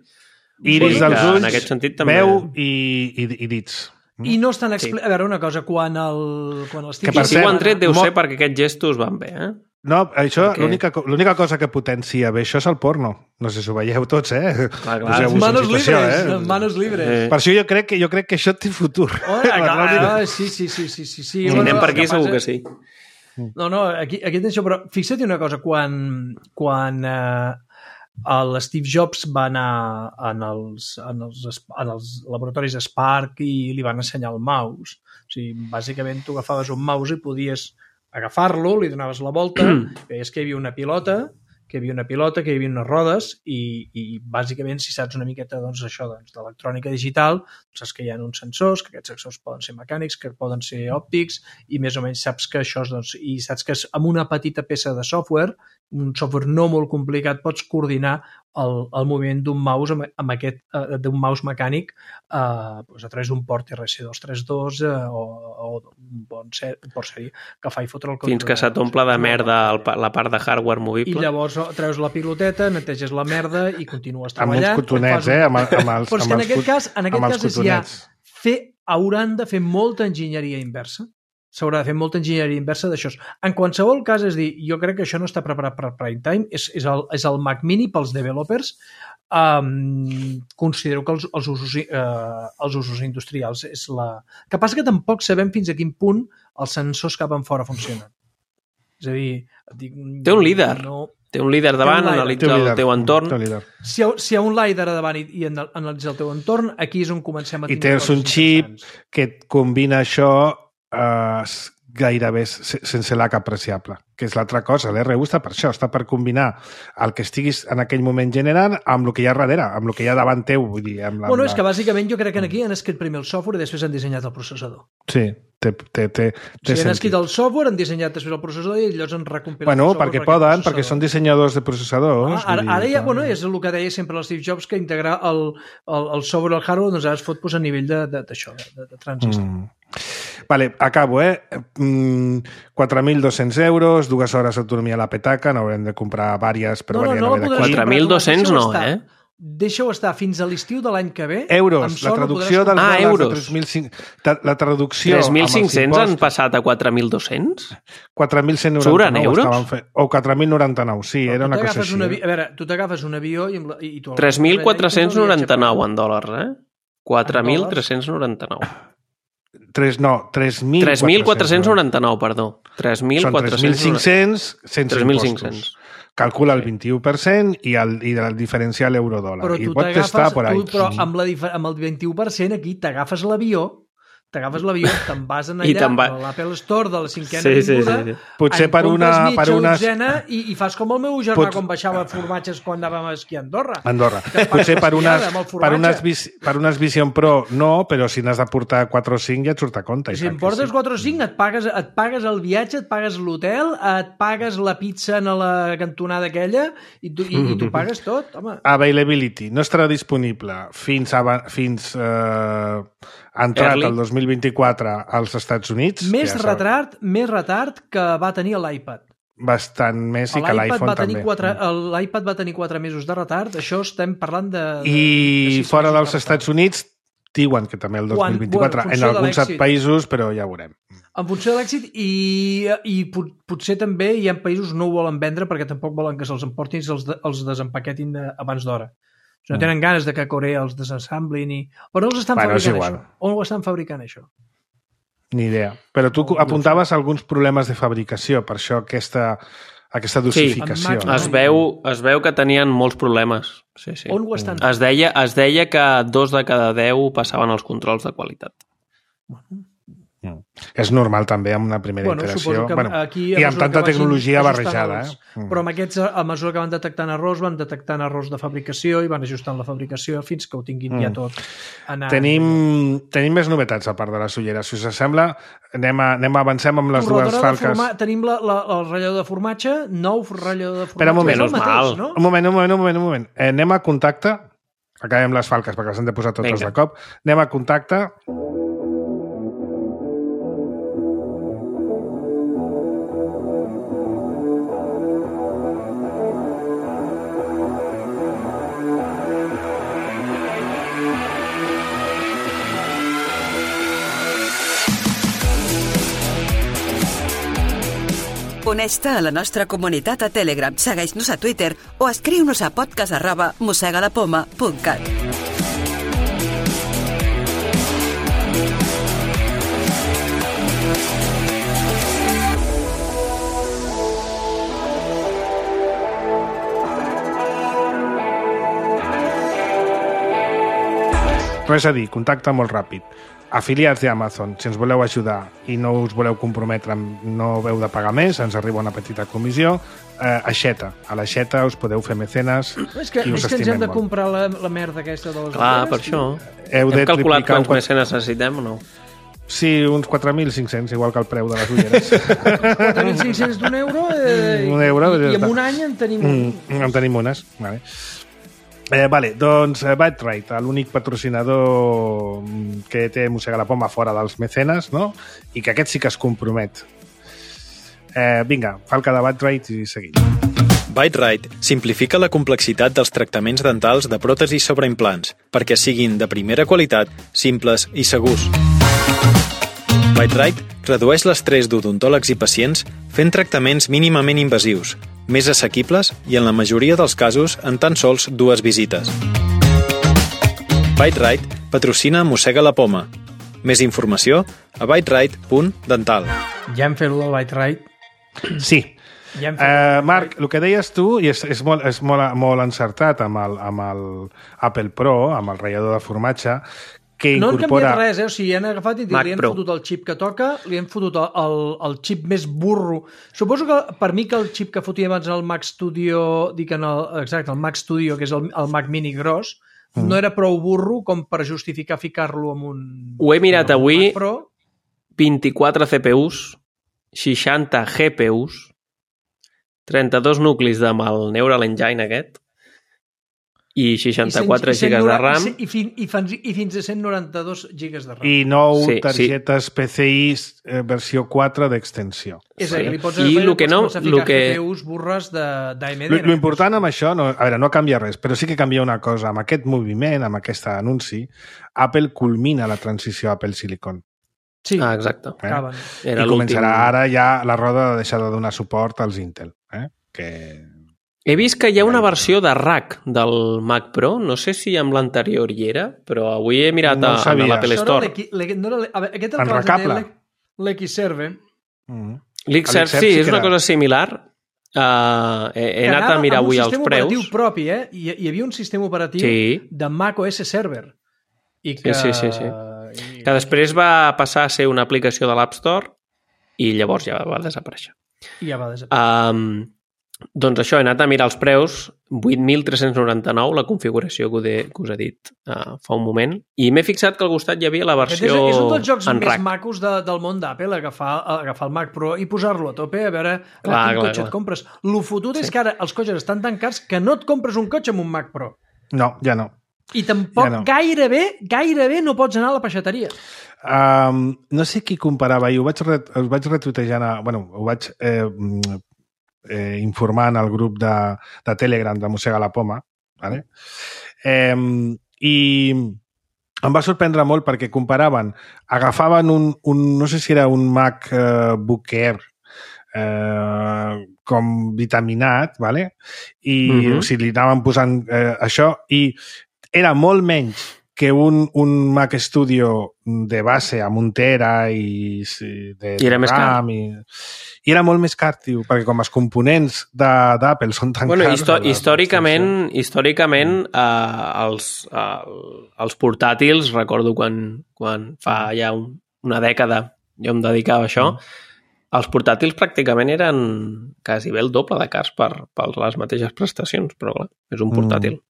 Iris dels ulls, en aquest sentit, també... veu i, i, i dits. I no estan... Expli... Sí. A veure, una cosa, quan el... Quan els Que I si ho han tret deu mo... ser perquè aquests gestos van bé, eh? No, això, Perquè... l'única, l'única cosa que potencia bé això és el porno. No sé si ho veieu tots, eh? Clar, clar. Manos situació, libres, eh? manos libres. Eh. Per això jo crec que jo crec que això té futur. Oh, clar, sí, sí, sí, sí, sí, sí. Si bueno, anem per aquí segur que sí. No, no, aquí, aquí tens això, però fixa't una cosa, quan, quan eh, l'Steve Jobs va anar en els, en, els, en els laboratoris Spark i li van ensenyar el mouse. O sigui, bàsicament tu agafaves un mouse i podies agafar-lo, li donaves la volta, veies que hi havia una pilota, que hi havia una pilota, que hi havia unes rodes i, i bàsicament, si saps una miqueta doncs, això doncs, d'electrònica digital, saps que hi ha uns sensors, que aquests sensors poden ser mecànics, que poden ser òptics, i més o menys saps que això és, doncs, i saps que amb una petita peça de software, un software no molt complicat, pots coordinar el, el moviment d'un mouse amb, amb aquest, uh, d'un mouse mecànic uh, doncs a través d'un port R C dos trenta dos uh, o, o un, bon ser, un port sèrie que fa i fotre el control. Fins que s'omple de merda el, la part de hardware movible. I llavors treus la piloteta, neteges la merda i continues treballant. Amb uns cotonets, eh? Amb, amb els, Però és que en aquest cas, en aquest cas és ja fer, hauran de fer molta enginyeria inversa. S'haurà de fer molta enginyeria inversa d'això. En qualsevol cas, és dir, jo crec que això no està preparat per prime time, és, és, el, és el Mac Mini pels developers, um, considero que els, els, usos, uh, els usos industrials és la... Que passa que tampoc sabem fins a quin punt els sensors cap en fora funcionen. És a dir... Dic, té un líder. No... Té un líder davant, analitza el teu entorn. Si hi, ha, si hi ha un líder davant i, i analitza el teu entorn, aquí és on comencem a tindre... I tens un xip que et combina això eh, gairebé sense l'H apreciable, que és l'altra cosa. L'R U està per això, està per combinar el que estiguis en aquell moment generant amb el que hi ha darrere, amb el que hi ha davant teu. Vull dir, amb la, bueno, amb la... és que bàsicament jo crec que aquí han escrit primer el software i després han dissenyat el processador. Sí, té, té, té, té o sigui, han escrit el software, han dissenyat després el processador i llavors han recompilat bueno, el software. Perquè poden, perquè són dissenyadors de processadors. Ah, ara, ara ja, bueno, és el que deia sempre el Steve Jobs, que integrar el, el, el software i el hardware doncs ara es fot pues, a nivell d'això, de, de, de transistor. Mm. Vale, acabo, eh? Mm, quatre mil dos-cents euros, dues hores d'autonomia a la petaca, n'haurem de comprar vàries per no, variar no, no, quatre mil dos-cents no, eh? Deixa-ho estar fins a l'estiu de l'any que ve. Euros, la traducció dels ah, euros. De tres mil cinc-cents. La traducció... tres mil cinc-cents han passat a quatre mil dos-cents? quatre mil cent noranta-nou estaven fent. O quatre mil noranta-nou, sí, era una cosa així. Una, a veure, tu t'agafes un avió i... i tu tres mil quatre-cents noranta-nou en dòlars, eh? quatre mil tres-cents noranta-nou. tres, no, tres mil quatre-cents noranta-nou, perdó. tres mil cinc-cents sense tres mil cinc-cents. Calcula el vint-i-u per cent i el, i el diferencial euro-dòlar. Però tu t'agafes, però amb, la, amb el vint-i-u per cent aquí t'agafes l'avió, t'agafes l'avió, te'n vas en allà va... a l'Apple Store de la cinquena sí, sí, vinguda, sí, sí. Potser per una... Per una... i, i fas com el meu germà Pot... quan baixava formatges quan anàvem a esquiar a Andorra. Andorra. Potser per unes, per, unes, per unes Vision Pro no, però si n'has de portar quatre o cinc ja et surt a compte. Si em portes sí. quatre o cinc et pagues, et pagues el viatge, et pagues l'hotel, et pagues la pizza en la cantonada aquella i tu, i, i tu pagues tot, home. Availability. No estarà disponible fins, a, fins eh, entrat el dos mil vint-i-quatre als Estats Units. Més ja retard, més retard que va tenir l'iPad. Bastant més i que l'iPhone també. L'iPad va tenir quatre mesos de retard, això estem parlant de... de I de fora dels Estats Units diuen que també el dos mil vint-i-quatre, bueno, en alguns països, però ja veurem. En funció de l'èxit i, i potser també hi ha països que no ho volen vendre perquè tampoc volen que se'ls emportin i els, de, els desempaquetin abans d'hora. No tenen ganes de que Corea els desensamblin i... Però no els estan bueno, fabricant això. On ho estan fabricant això? Ni idea. Però tu no, apuntaves no alguns problemes de fabricació, per això aquesta, aquesta dosificació. Sí, no? es, veu, es veu que tenien molts problemes. Sí, sí. On ho estan? Es deia, es deia que dos de cada deu passaven els controls de qualitat. Mm. És normal també amb una primera bueno, iteració bueno, aquí, i amb tanta tecnologia barrejada. Els, eh? Però amb aquests, a mesura que van detectant errors, van detectant errors de fabricació i van ajustant la fabricació fins que ho tinguin mm. ja tot. Anar... Tenim, tenim més novetats a part de les ulleres. Si us sembla, anem, a, anem a avancem amb les dues falques. Forma... Tenim la, la, el ratllador de formatge, nou ratllador de formatge. Espera un moment, mateix, no? un moment, un moment, un moment, un moment. Eh, anem a contacte. Acabem les falques perquè les hem de posar totes Venga. de cop. Anem a contacte. Uneix-te a la nostra comunitat a Telegram, segueix-nos a Twitter o escriu-nos a podcast arroba mosegalapoma punt cat. Res a dir, contacte molt ràpid. Afiliats d'Amazon, si ens voleu ajudar i no us voleu comprometre, no heu de pagar més, ens arriba una petita comissió. Eh, Aixeta. A l'Aixeta us podeu fer mecenes és que, i us és que ens hem de molt. comprar la, la merda aquesta de les Clar, per això. Heu hem de calculat quants mecenes necessitem o no? Sí, uns quatre mil cinc-cents, igual que el preu de les ulleres. quatre mil cinc-cents d'un euro, eh, un euro i, i en un any en tenim... Mm, en tenim unes, vale. Eh, vale, doncs eh, Byte-Rite, l'únic patrocinador que té Mossega la Poma fora dels mecenes, no? I que aquest sí que es compromet. Eh, vinga, falca de Byte-Rite i seguim. Byte-Rite simplifica la complexitat dels tractaments dentals de pròtesis sobre implants perquè siguin de primera qualitat, simples i segurs. Byte-Rite redueix l'estrès d'odontòlegs i pacients fent tractaments mínimament invasius, més assequibles i en la majoria dels casos en tan sols dues visites. Byte-Rite patrocina Mossega la Poma. Més informació a byte-rite punt dental. Ja hem fet el del Byte-Rite. Sí. Ja hem uh, Marc, el que deies tu, i és, és, molt, és molt, molt encertat amb el, amb el Apple Pro, amb el ratllador de formatge, que no incorpora... han canviat res, eh? O sigui, han agafat i li han Pro. fotut el xip que toca, li han fotut el, el, el xip més burro. Suposo que per mi que el xip que fotia abans el Mac Studio, dic en el, exacte, el Mac Studio, que és el, el Mac Mini gros, mm. no era prou burro com per justificar ficar-lo en un... Ho he mirat en un avui, Mac Pro. vint-i-quatre C P Us, seixanta G P Us, trenta-dos nuclis amb el Neural Engine aquest, i seixanta-quatre I cent, gigas de RAM. I, fin, i, fins, I fins a cent noranta-dos gigas de RAM. I nou sí, targetes sí. P C I eh, versió quatre d'extensió. És a dir, li pots, I fer, el que no, pots ficar que... G P Us burres d'A M D. Lo, lo important amb això, no, a veure, no canvia res, però sí que canvia una cosa. Amb aquest moviment, amb aquest anunci, Apple culmina la transició a Apple Silicon. Sí, ah, exacte. Eh? Era I començarà ara ja la roda de deixar de donar suport als Intel. Eh? Que... He vist que hi ha una versió de rack del Mac Pro, no sé si amb l'anterior hi era, però avui he mirat no a, a l'Apple Store. No era a veure, aquest Enracable. l'Xserve. Mm. L'Xserve, sí, sí és una cosa similar. Uh, he, he anat a mirar avui els preus. Que anava amb un sistema operatiu propi, eh? Hi, hi havia un sistema operatiu sí. de Mac O S Server. I que... Sí, sí, sí. sí. I... Que després va passar a ser una aplicació de l'App Store i llavors ja va desaparèixer. I ja va desaparèixer. Um, doncs això, he anat a mirar els preus, vuit mil tres-cents noranta-nou, la configuració que, de, que us he dit uh, fa un moment, i m'he fixat que al costat hi havia la versió en rack. És un dels jocs més rack. macos de, del món d'Apple, agafar, agafar el Mac Pro i posar-lo a tope, a veure clar, quin clar, cotxe clar. et compres. Lo fotut sí. és que ara els cotxes estan tan cars que no et compres un cotxe amb un Mac Pro. No, ja no. I tampoc ja no. gairebé, gairebé no pots anar a la peixateria. Um, no sé qui comparava, i ho vaig, ret, ho vaig retuitejant, a, bueno, ho vaig eh, eh, informant al grup de, de Telegram de Mossega la Poma, vale? eh, i em va sorprendre molt perquè comparaven, agafaven un, un no sé si era un Mac eh, Book Air eh, com vitaminat, vale? I mm-hmm. o sigui, li anaven posant eh, això, i era molt menys que un, un Mac Studio de base amb un tera i de I era més car. I, i era molt més car, tio, perquè com els components d'Apple són tan bueno, cars... Histò històricament, històricament eh, els, eh, els portàtils, recordo quan, quan fa ja un, una dècada jo em dedicava a això, mm. els portàtils pràcticament eren quasi bé el doble de cars per, per les mateixes prestacions, però clar, és un portàtil. Mm.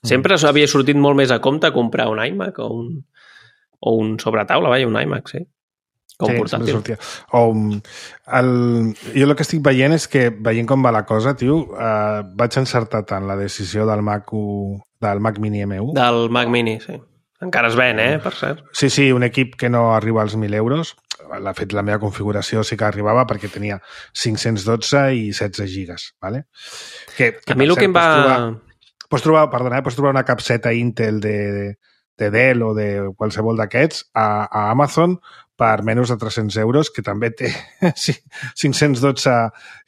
Sempre havia sortit molt més a compte comprar un iMac o un, o un sobretaula, vaja, un iMac, sí. Com sí, portàtil. O, el, jo el que estic veient és que, veient com va la cosa, tio, eh, vaig encertar tant la decisió del Mac, U, del Mac Mini M u. Del Mac Mini, sí. Encara es ven, eh, per cert. Sí, sí, un equip que no arriba als mil euros. L'ha fet la meva configuració, sí que arribava perquè tenia cinc-cents dotze i setze gigas, ¿vale? Que, que a mi el que em va... Trobar... Pots trobar, perdona, pots trobar una capseta Intel de, de, de Dell o de qualsevol d'aquests a, a Amazon per menys de tres-cents euros, que també té cinc-cents dotze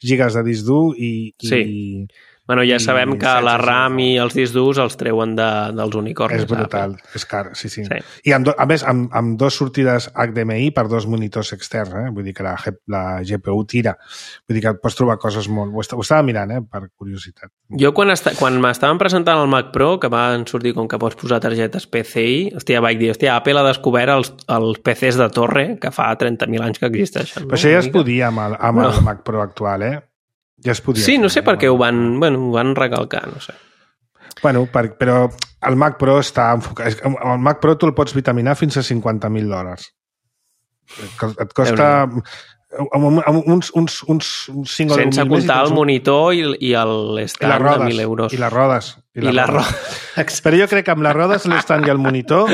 gigas de disc dur i... Sí. I, bueno, ja sabem que la RAM i els discs durs els treuen de, dels unicorns. És brutal, és car, sí, sí. sí. I amb do, a més, amb, amb dos sortides H D M I per dos monitors externs, eh? Vull dir que la, la G P U tira. Vull dir que pots trobar coses molt... Ho, est ho estava mirant, eh? Per curiositat. Jo quan, quan m'estaven presentant el Mac Pro, que van sortir com que pots posar targetes P C I, hòstia, vaig dir, hòstia, Apple ha descobert els, els P Cs de torre que fa trenta mil anys que existeixen. Però no? Això ja es podia amb el, amb no. el Mac Pro actual, eh? Ja es podia sí, fer, no sé per què ho van, Mac. bueno, ho van recalcar, no sé. Bueno, per, però el Mac Pro està enfocat... El Mac Pro tu el pots vitaminar fins a cinquanta mil dòlars. Et costa... uns, uns, uns cinc o sense comptar el monitor i, i l'estand de mil euros. I les rodes. I, I les rodes. Però jo crec que amb les rodes, l'estand i el monitor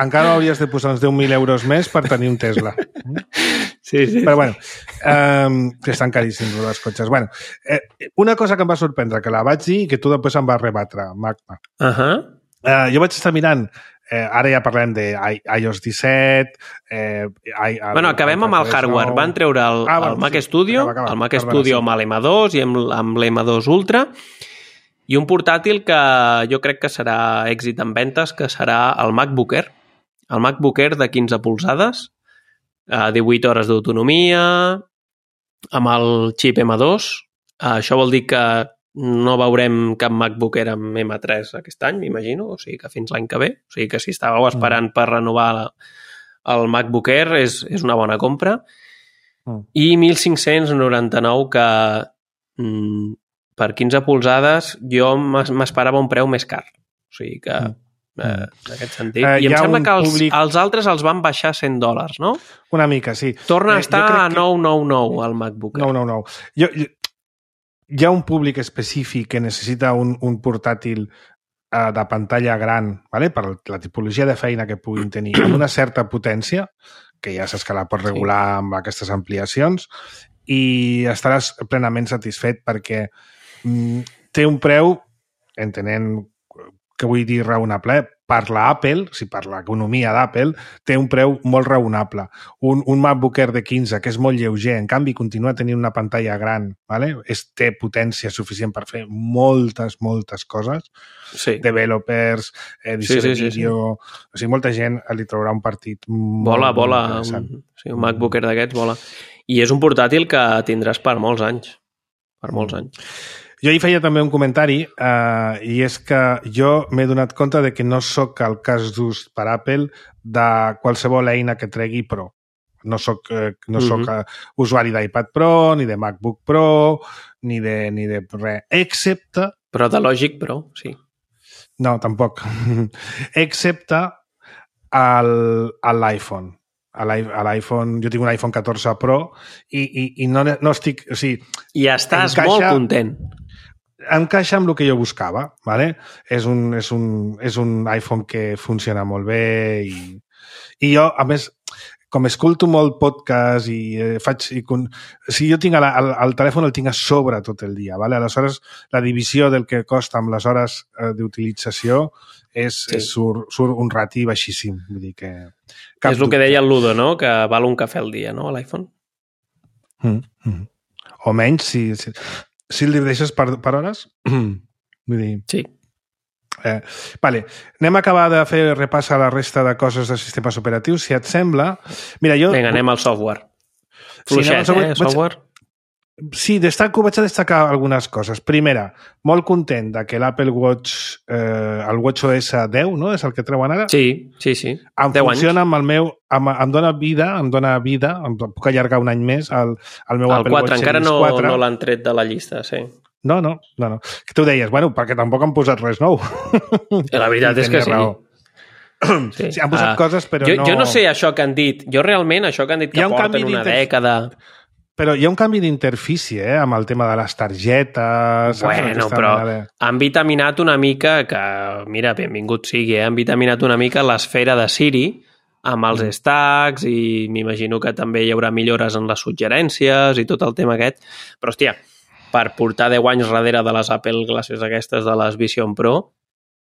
encara hauries de posar uns deu mil euros més per tenir un Tesla. Sí, sí. Però bueno, um, que estan caríssims els cotxes. Bueno, eh, una cosa que em va sorprendre, que la vaig dir i que tu després em vas rebatre, Magma. Uh -huh. Uh, jo vaig estar mirant Eh, ara ja parlem de i o ess disset... Eh, I, el, bueno, acabem amb el hardware. Nou... Van treure el, ah, bueno, el Mac sí. Studio, acaba, acaba. el Mac Perdona, Studio sí. amb l'M dos i amb, amb l'M dos Ultra, i un portàtil que jo crec que serà èxit en ventes, que serà el MacBook Air. El MacBook Air de quinze polzades, divuit hores d'autonomia, amb el xip M dos. Això vol dir que no veurem cap MacBook Air amb M tres aquest any, m'imagino, o sigui que fins l'any que ve. O sigui que si estàveu esperant per renovar el MacBook Air és, és una bona compra. I mil cinc-cents noranta-nou que mm, per quinze polzades jo m'esperava un preu més car. O sigui que... Eh, en aquest sentit. Uh, I em sembla que els, públic... els altres els van baixar cent dòlars, no? Una mica, sí. Torna a estar a nou cents i noranta i nou al MacBook. nou cents i noranta i nou. Jo, jo, hi ha un públic específic que necessita un, un portàtil uh, de pantalla gran, ¿vale? Per la tipologia de feina que puguin tenir, amb una certa potència, que ja saps que la pots regular sí. amb aquestes ampliacions, i estaràs plenament satisfet perquè mm, té un preu, entenent que vull dir raonable, per l'Apple, o sigui, per l'economia d'Apple, té un preu molt raonable. Un, un MacBook Air de quinze, que és molt lleuger, en canvi continua tenint una pantalla gran, ¿vale? És, té potència suficient per fer moltes, moltes coses. Sí. Developers, edició sí, sí, de vídeo... Sí, sí. O sigui, molta gent li traurà un partit molt, vola, molt vola, interessant. Un, sí, un MacBook Air d'aquests vola. I és un portàtil que tindràs per molts anys. Per molts anys. Jo hi feia també un comentari eh, i és que jo m'he donat compte de que no sóc el cas d'ús per Apple de qualsevol eina que tregui Pro. No soc, eh, no mm-hmm. soc uh, usuari d'iPad Pro, ni de MacBook Pro, ni de, ni de res, excepte... Però de Logic Pro, sí. No, tampoc. Excepte l'iPhone. A l'iPhone, jo tinc un iPhone catorze Pro i, i, i no, no estic... O sigui, I estàs encaixa, molt content. Encaixa amb el que jo buscava, ¿vale? És un, és un, és un iPhone que funciona molt bé i, i jo, a més, com escolto molt podcast i eh, faig... I con... O sigui, jo tinc el, el, el telèfon el tinc a sobre tot el dia, ¿vale? Aleshores, la divisió del que costa amb les hores eh, d'utilització és, sí. és surt, surt un rati baixíssim. Vull dir que... És el que deia el Ludo, no? Que val un cafè al dia, no? A l'iPhone. Mm, mm. O menys, si, si, si el deixes per, per hores. Vull dir... Sí. Eh, vale. Anem a acabar de fer repàs a la resta de coses de sistemes operatius, si et sembla. Mira, jo... Vinga, anem al software. Fluixet, sí, eh, software? Sí, destaco, vaig a destacar algunes coses. Primera, molt content de que l'Apple Watch, eh, el WatchOS deu, no? És el que treuen ara? Sí, sí, sí. Em funciona amb el meu... Amb, em dona vida, em dona vida, em puc allargar un any més el, el meu el Apple quatre, Watch encara Series no, quatre. No l'han tret de la llista, sí. No, no, no, no. Que tu deies, bueno, perquè tampoc han posat res nou. La veritat és que sí. Sí. Sí, han posat uh, coses, però jo, no... Jo no sé això que han dit. Jo realment, això que han dit que porten una dècada... Però hi ha un canvi d'interfície, eh, amb el tema de les targetes... Bueno, però de... han vitaminat una mica, que, mira, benvingut sigui, eh, han vitaminat una mica l'esfera de Siri amb els mm. stacks i m'imagino que també hi haurà millores en les suggerències i tot el tema aquest. Però, hòstia, per portar deu anys darrere de les Apple Glasses aquestes de les Vision Pro,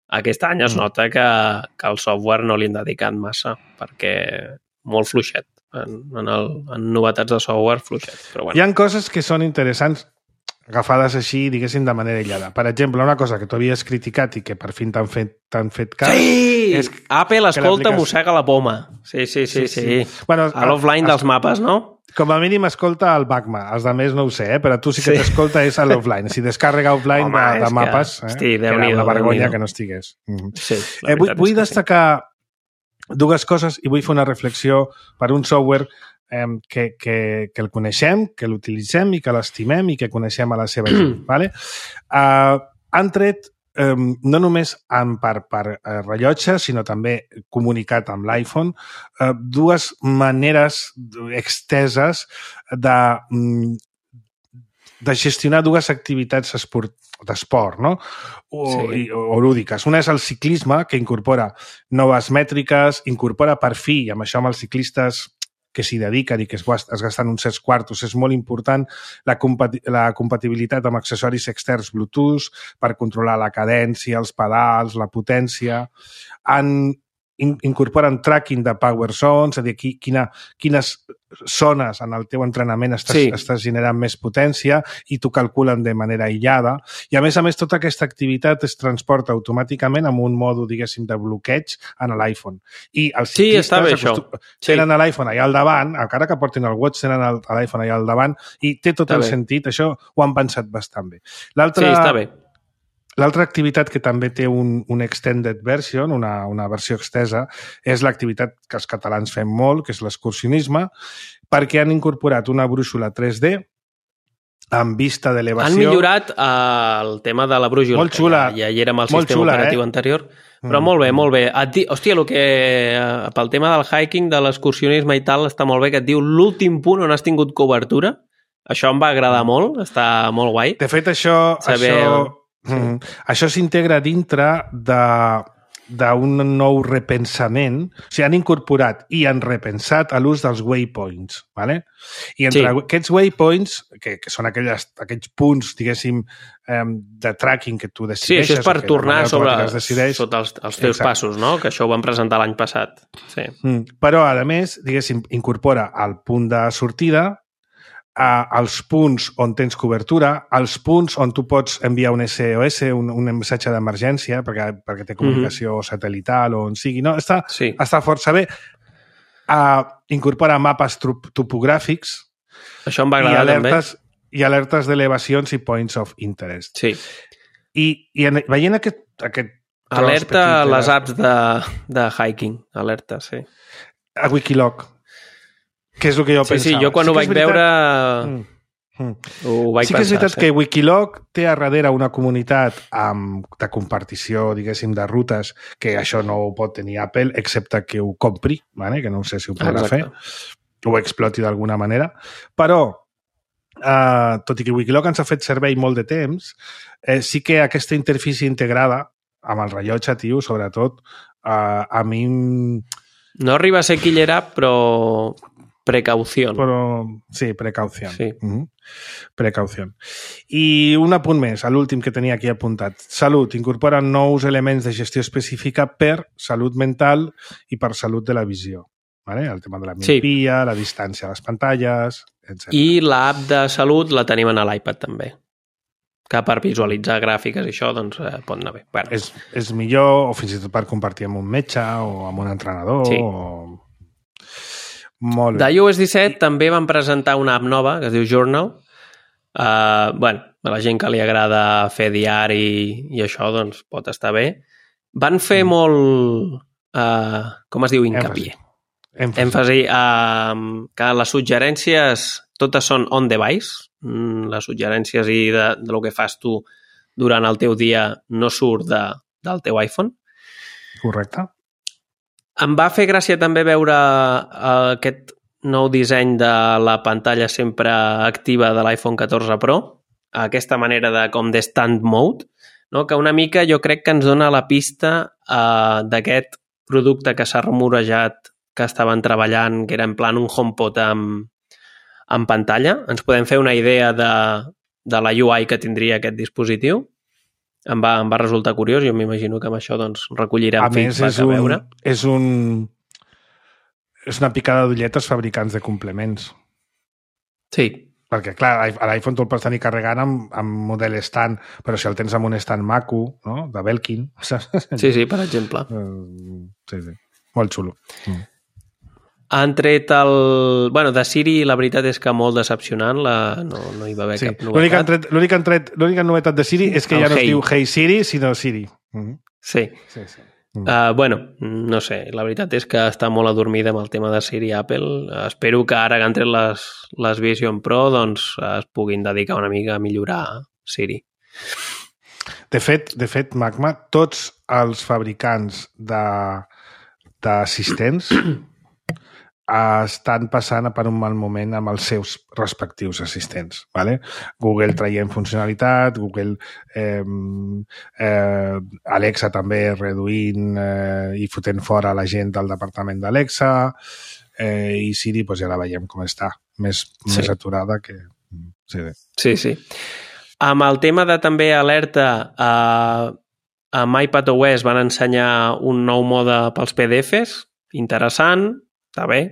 aquest any es nota que, que el software no li han dedicat massa, perquè molt fluixet. En, en, el, en novetats de software fluixet. Però bueno. Hi ha coses que són interessants agafades així, diguéssim, de manera aïllada. Per exemple, una cosa que tu havies criticat i que per fi t'han fet, t'han fet cas... Sí! És Apple escolta, mossega la poma. Sí, sí, sí. sí, sí. sí. Bueno, a l'offline dels mapes, no? Com a mínim escolta el Magma. Els de més no ho sé, eh? Però tu sí que sí. t'escolta és a l'offline. Si descàrrega offline Home, de, de mapes, que... eh? Hosti, era una vergonya que no estigués. Mm. Sí, eh, vull vull destacar... Sí. Dues coses i vull fer una reflexió per un software eh, que, que, que el coneixem, que l'utilitzem i que l'estimem i que coneixem a la seva gent. ¿Vale? Uh, han tret, um, no només en per, per uh, rellotge, sinó també comunicat amb l'iPhone, uh, dues maneres exteses de, um, de gestionar dues activitats esport, d'esport, no? O, sí. o, o lúdiques. Una és el ciclisme, que incorpora noves mètriques, incorpora per fi, i amb això amb els ciclistes que s'hi dediquen i que es, es gasten uns certs quartos, és molt important la, compati la compatibilitat amb accessoris externs Bluetooth per controlar la cadència, els pedals, la potència. Han incorporen tracking de power zones, és a dir, quina, quines zones en el teu entrenament estàs, sí. estàs generant més potència i t'ho calculen de manera aïllada. I a més a més, tota aquesta activitat es transporta automàticament amb un mòdul, diguéssim, de bloqueig en l'iPhone. I els sí, està bé, això. Sí. Tenen l'iPhone allà al davant, encara que portin el Watch, tenen l'iPhone allà al davant i té tot està el bé. sentit. Això ho han pensat bastant bé. L'altra... Sí, està bé. L'altra activitat que també té un, un extended version, una, una versió extesa, és l'activitat que els catalans fem molt, que és l'excursionisme, perquè han incorporat una brúixola tres D amb vista d'elevació. Han millorat uh, el tema de la brúixola, molt xula, que ja, ja hi era amb el sistema xula, operatiu eh? anterior, però mm. molt bé, molt bé. Et di... Hòstia, el que, uh, pel tema del hiking, de l'excursionisme i tal, està molt bé, que et diu l'últim punt on has tingut cobertura. Això em va agradar molt, està molt guai. De fet, això... Saber... això... Sí. Mm. Això s'integra dintre d'un nou repensament. O sigui, han incorporat i han repensat a l'ús dels waypoints. ¿vale? I entre sí. aquests waypoints, que, que són aquelles, aquells punts, diguéssim, eh, de tracking que tu decideixes... Sí, això és per tornar sobre decideix... sota els, els teus Exacte. passos, no? Que això ho vam presentar l'any passat. Sí. Mm. Però, a més, diguéssim, incorpora el punt de sortida, als punts on tens cobertura, als punts on tu pots enviar un S O S, un, un missatge d'emergència, perquè, perquè té comunicació mm-hmm. satelital o on sigui. No, està, sí. està força bé. Uh, incorpora mapes topogràfics. Això em va agradar i alertes, també. I alertes d'elevacions i points of interest. Sí. I, i en, veient aquest, aquest alerta a les apps de, de hiking. Alerta, sí. A Wikiloc. Que és el que jo sí, pensava. Sí, jo quan sí ho vaig veritat... veure mm. Mm. ho vaig sí que és pensar. veritat sí. que Wikiloc té a darrere una comunitat amb, de compartició, diguéssim, de rutes, que això no ho pot tenir Apple, excepte que ho compri, ¿vale? Que no sé si ho podrà Exacte. fer, o exploti d'alguna manera. Però, eh, tot i que Wikiloc ens ha fet servei molt de temps, eh, sí que aquesta interfície integrada amb el rellotge, tio, sobretot, eh, a mi... No arriba a ser killer app, però... Precaució. Però, sí, precaució. Sí. Mm-hmm. Precaució. I un apunt més, a l'últim que tenia aquí apuntat. Salut. Incorpora nous elements de gestió específica per salut mental i per salut de la visió. ¿Vale? El tema de la miopia, sí. la distància a les pantalles, etcètera. I l'app de salut la tenim a l'iPad també. Que per visualitzar gràfiques i això, doncs, eh, pot anar bé. Bueno. És, és millor, o fins i tot per compartir amb un metge o amb un entrenador sí. o... Molt bé. d'iOS disset també van presentar una app nova que es diu Journal. Uh, bueno, a la gent que li agrada fer diari i això, doncs pot estar bé. Van fer mm. molt, uh, com es diu, hincapié. Èmfasi. Èmfasi uh, que les suggerències totes són on device. Mm, les suggerències i de, de lo que fas tu durant el teu dia no surt de, del teu iPhone. Correcte. Em va fer gràcia també veure uh, aquest nou disseny de la pantalla sempre activa de l'iPhone catorze Pro, aquesta manera de com de stand mode, no? Que una mica jo crec que ens dona la pista uh, d'aquest producte que s'ha rumorejat que estaven treballant, que era en plan un HomePod amb, amb pantalla. Ens podem fer una idea de, de la U I que tindria aquest dispositiu. Em va, em va resultar curiós, jo m'imagino que amb això doncs, recollirem feedback a veure. És un... És una picada d'ullet als fabricants de complements. Sí. Perquè, clar, a l'iPhone tu el pots tenir carregant amb, amb model stand, però si el tens amb un stand maco, no?, de Belkin... Sí, sí, per exemple. Sí, sí. Molt xulo. Mm. Han tret el... Bueno, de Siri la veritat és que molt decepcionant, la... no, no hi va haver sí. cap novetat. L'única tret... l'única novetat de Siri és que el ja no hey. es diu Hey Siri, sinó Siri. Mm-hmm. Sí. Sí, sí. Mm. Uh, bueno, no sé, la veritat és que està molt adormida amb el tema de Siri Apple. Espero que ara que han tret les, les Vision Pro doncs es puguin dedicar una mica a millorar Siri. De fet, de fet, Magma, tots els fabricants de d'assistents estan passant per un mal moment amb els seus respectius assistents. ¿vale? Google traient funcionalitat, Google eh, eh, Alexa també reduint eh, i fotent fora la gent del departament d'Alexa eh, i Siri pues, ja la veiem com està, més, sí. més aturada que... Sí, sí. sí, sí. Amb el tema de també alerta, eh, amb iPadOS van ensenyar un nou mode pels P D Fs, interessant, està bé.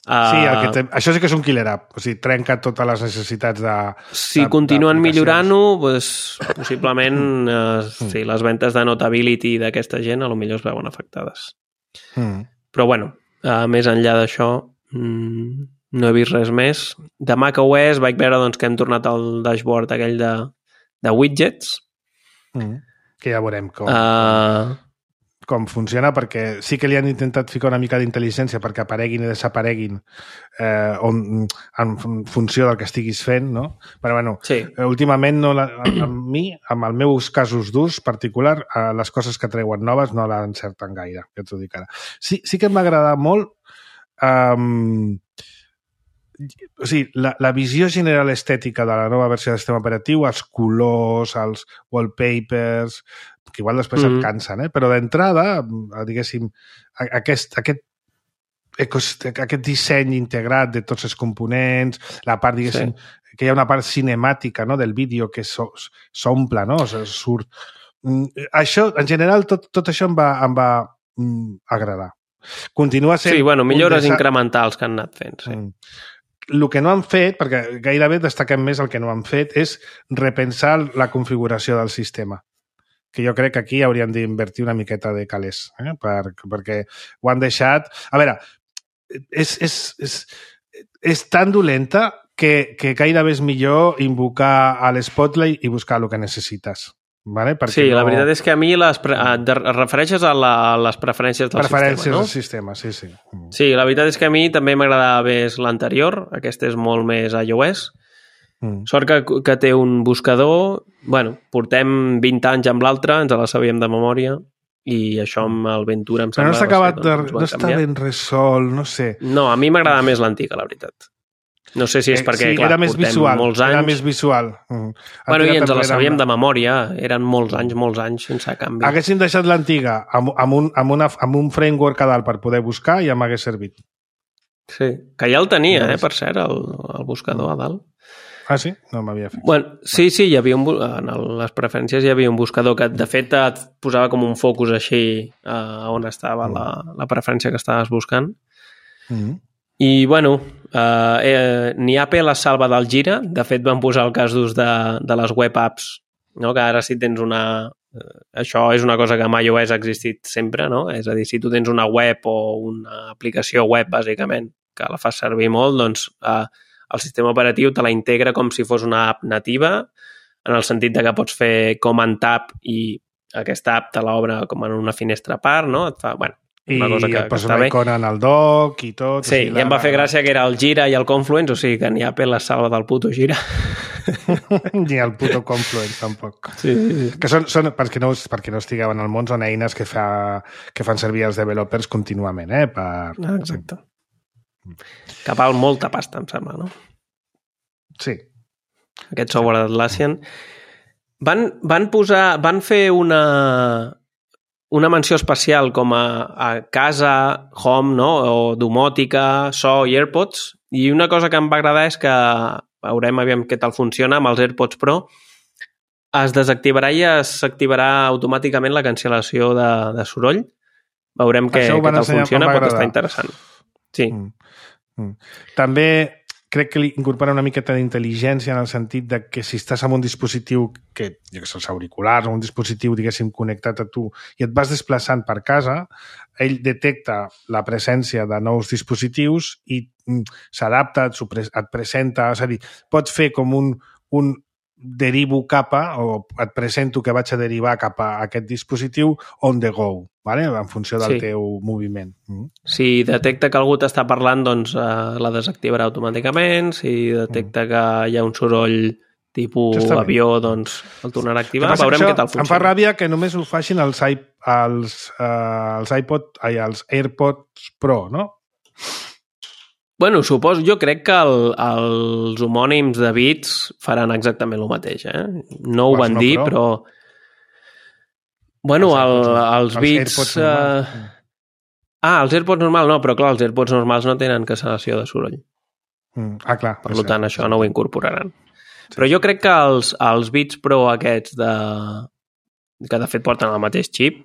Uh, sí, el que té, això sí que és un killer app, o sigui, trenca totes les necessitats de... Si de, continuen millorant-ho, pues, possiblement uh, sí, les ventes de Notability d'aquesta gent a lo millor es veuen afectades. Mm. Però bueno, uh, més enllà d'això, mm, no he vist res més. De macOS vaig veure doncs, que hem tornat al dashboard aquell de, de widgets. Mm. Que ja veurem com... Uh... com funciona, perquè sí que li han intentat ficar una mica d'intel·ligència perquè apareguin i desapareguin eh, on, en funció del que estiguis fent, no? Però, bueno, sí. últimament, no la, amb mi, amb els meus casos d'ús particular, eh, les coses que treuen noves no l'encerten gaire, que t'ho dic ara. Sí, sí que m'ha agradat molt um, o sigui, la, la visió general estètica de la nova versió del sistema operatiu, els colors, els wallpapers, que igual després mm-hmm. et cansen, eh? Però d'entrada, diguéssim, aquest, aquest, aquest disseny integrat de tots els components, la part, diguéssim, sí. que hi ha una part cinemàtica, no?, del vídeo que s'omple, no?, o sigui, surt. Això, en general, tot, tot això em va, em va mm, agradar. Continua sent... Sí, bueno, millores desa... incrementals que han anat fent, sí. Mm. El que no han fet, perquè gairebé destaquem més el que no han fet, és repensar la configuració del sistema. Que jo crec que aquí hauríem d'invertir una miqueta de calés, eh? per, perquè ho han deixat... A veure, és, és, és, és tan dolenta que, que gairebé és millor invocar a l'Spotlight i buscar el que necessites. Vale? Sí, no... la veritat és que a mi les pre... et refereixes a, la, a les preferències del preferències sistema, no? Preferències del sistema, sí, sí. Sí, la veritat és que a mi també m'agradava més l'anterior, aquest és molt més iOS. Mm. Sort que, que té un buscador, bueno, portem vint anys amb l'altre, ens la sabíem de memòria, i això amb el Ventura em sembla... Però no està acabat, de, no està ben resolt, no sé. No, a mi m'agradava més l'antiga, la veritat. No sé si és perquè, eh, sí, clar, era més portem visual, molts anys... Era més visual. Mm. Bueno, i ens la sabíem de memòria. Eren molts anys, molts anys sense canvi. Haguéssim deixat l'antiga amb, amb, un, amb, una, amb un framework a dalt per poder buscar i ja m'hagués servit. Sí, que ja el tenia, eh, per cert, el, el buscador a dalt. Ah, sí? No m'havia fet. Bueno, sí, sí, hi havia un, en les preferències hi havia un buscador que, de fet, et posava com un focus així uh, on estava mm. la, la preferència que estaves buscant. Mm. I, bueno, eh, eh, ni Apple es salva del gira. De fet, van posar el cas d'ús de, de les web apps, no? Que ara si tens una... Eh, això és una cosa que amb iOS ha existit sempre, no? És a dir, si tu tens una web o una aplicació web, bàsicament, que la fas servir molt, doncs eh, el sistema operatiu te la integra com si fos una app nativa, en el sentit de que pots fer command tab i aquesta app te l'obre com en una finestra a part, no? Et fa... Bueno, una cosa que, I et posa una icona en el dock i tot. Sí, o sigui, i em va fer gràcia que era el Gira i el Confluence, o sigui que ni Apple es salva del puto Gira. Ni el puto Confluence, tampoc. Sí, sí, sí. Que són, són perquè, no, perquè no estigueu en el món, són eines que, fa, que fan servir els developers contínuament, eh? Per... Ah, exacte. Que val molta pasta, em sembla, no? Sí. Aquest software d'Atlassian. Van, van posar... Van fer una... una menció especial com a, a casa, home, no? O domòtica, so i AirPods. I una cosa que em va agradar és que, veurem aviam què tal funciona amb els AirPods Pro, es desactivarà i s'activarà automàticament la cancel·lació de, de soroll. Veurem què, què tal funciona, pot estar interessant. Sí. Mm. Mm. També crec que li incorpora una miqueta d'intel·ligència en el sentit de que si estàs amb un dispositiu que, jo que sé, els auriculars o un dispositiu, diguéssim, connectat a tu i et vas desplaçant per casa, ell detecta la presència de nous dispositius i mm, s'adapta, et presenta, és a dir, pots fer com un, un derivo cap a, o et presento que vaig a derivar cap a aquest dispositiu on the go, vale? En funció del sí. teu moviment. Mm. Si detecta que algú t'està parlant, doncs eh, la desactivarà automàticament. Si detecta mm. que hi ha un soroll tipus avió, doncs el tornarà a activar. Veurem què tal funciona. Em fa ràbia que només ho facin els, els, uh, els iPod, ai, els AirPods Pro, no? Bueno, suposo, jo crec que el, els homònims de Beats faran exactament el mateix, eh? No ho van no, dir, però... Bueno, els, el, els, els Beats... Uh... Ah, els AirPods normals no, però clar, els AirPods normals no tenen cancel·lació de soroll. Mm. Ah, clar. Per tant, això no ho incorporaran. Sí. Però jo crec que els, els Beats Pro aquests de, que de fet porten el mateix xip,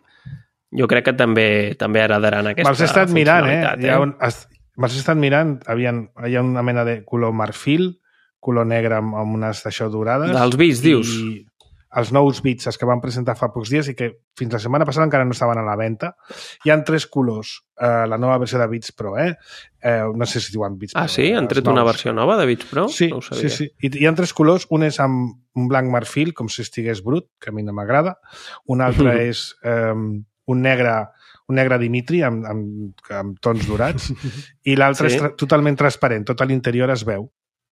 jo crec que també també heredaran aquesta Me'ls he estat mirant, eh? funcionalitat. Hi ha un, me'ls he estat mirant, havien, hi ha una mena de color marfil, color negre amb, amb unes d'això dorades. Dels Beats, dius? I els nous Beats, els que van presentar fa pocs dies i que fins la setmana passada encara no estaven a la venda. Hi ha tres colors, eh, la nova versió de Beats Pro, eh? eh no sé si diuen Beats Pro. Ah, sí? Han tret una versió nova de Beats Pro? Sí, no sí, sí. I hi ha tres colors. Un és amb un blanc marfil, com si estigués brut, que a mi no m'agrada. Un altre mm-hmm. és eh, un negre un negre Dimitri amb, amb, amb tons dorats i l'altre sí. és tra totalment transparent. Tot a l'interior es veu.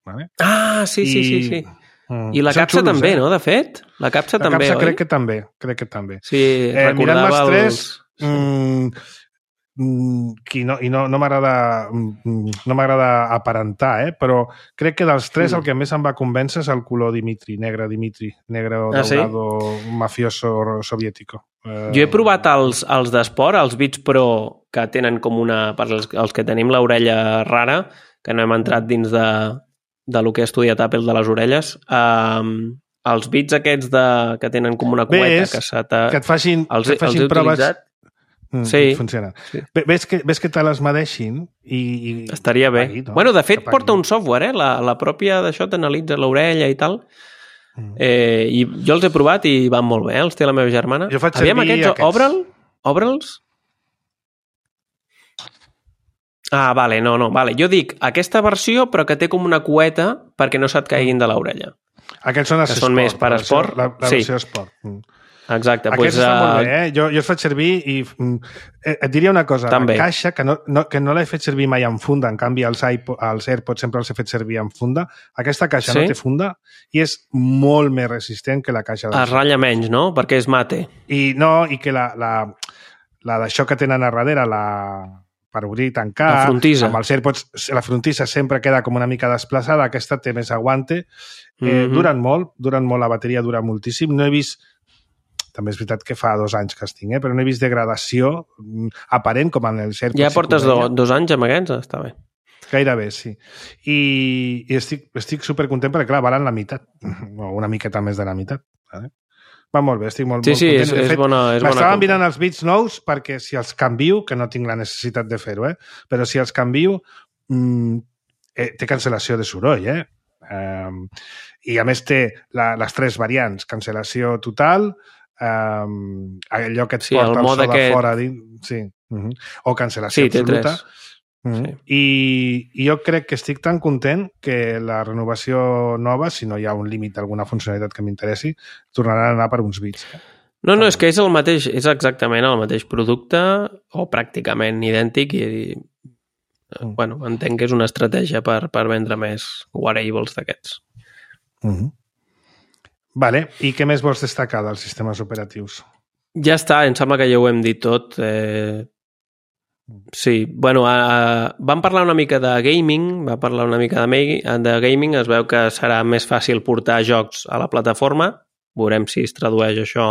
Vale? Ah, sí, sí, I... sí, sí. I la capsa xulos, també, eh? No, de fet? La capsa la també, capsa oi? crec que també, crec que també. Sí, eh, recordava els... tres, sí. mm, mm, i no, i no, no m'agrada no m'agrada aparentar, eh? Però crec que dels tres mm. el que més em va convèncer és el color Dimitri, negre Dimitri, negre ah, daurado sí? mafioso soviético. Jo he provat els, els d'esport, els Beats Pro, que tenen com una... Per als, els que tenim l'orella rara, que no hem entrat dins de... de lo que ha estudiat Apple de les orelles, um, els bits aquests de, que tenen com una cueta que se t'ha... que et facin, els, que et facin els proves... Mm, sí. Funciona. Sí. Ves que, ves que te les medeixin i... i... Estaria bé. Pagui, no? Bueno, de fet, porta un software, eh? La, la pròpia d'això t'analitza l'orella i tal. Mm. Eh, I jo els he provat i van molt bé, eh? Els té la meva germana. Jo faig Aviam servir aquests, aquests. Obre'l? Obre'ls? Ah, vale, no, no, vale. Jo dic aquesta versió, però que té com una cueta perquè no se't caiguin de l'orella. Aquests són els que són més per la esport. La, la sí. versió esport. Mm. Exacte. Aquests pues, estan uh... molt bé, eh? Jo, jo els faig servir i mm, et diria una cosa. També. La caixa, que no, no, que no l'he fet servir mai en funda, en canvi els, iPod, els AirPods sempre els he fet servir en funda, aquesta caixa sí? no té funda i és molt més resistent que la caixa... Es ratlla menys, no? Perquè és mate. I no, i que la, la, la d'això que tenen a darrere, la... per obrir i tancar, la frontissa. Amb els AirPods la frontissa sempre queda com una mica desplaçada, aquesta té més aguante, eh, mm-hmm. duren molt, duren molt, la bateria dura moltíssim, no he vist, també és veritat que fa dos anys que els tinc, eh, però no he vist degradació aparent com en els AirPods. Ja portes do, dos anys amb aquests, està bé. Gairebé, sí. I, i estic, estic supercontent perquè, clar, valen la meitat, o una miqueta més de la meitat, vale? Va molt bé, estic molt, sí, molt sí, content. Sí, és, és bona, és bona m'estaven mirant els Beats nous perquè si els canvio, que no tinc la necessitat de fer-ho, eh? Però si els canvio, mmm, eh, té cancel·lació de soroll, eh? Um, I a més té la, les tres variants, cancel·lació total, um, allò que et sí, porta el, el so aquest... de fora dins, sí, uh-huh. o cancel·lació sí, absoluta. Sí. I, I jo crec que estic tan content que la renovació nova, si no hi ha un límit d'alguna funcionalitat que m'interessi, tornaran a anar per uns bits. No, no, és que és el mateix, és exactament el mateix producte o pràcticament idèntic i, mm. bueno, entenc que és una estratègia per, per vendre més wearables d'aquests. Mm-hmm. Vale, i què més vols destacar dels sistemes operatius? Ja està, em sembla que ja ho hem dit tot. Eh... Sí, bueno, uh, vam parlar una mica de gaming, va parlar una mica de, de gaming, es veu que serà més fàcil portar jocs a la plataforma, veurem si es tradueix això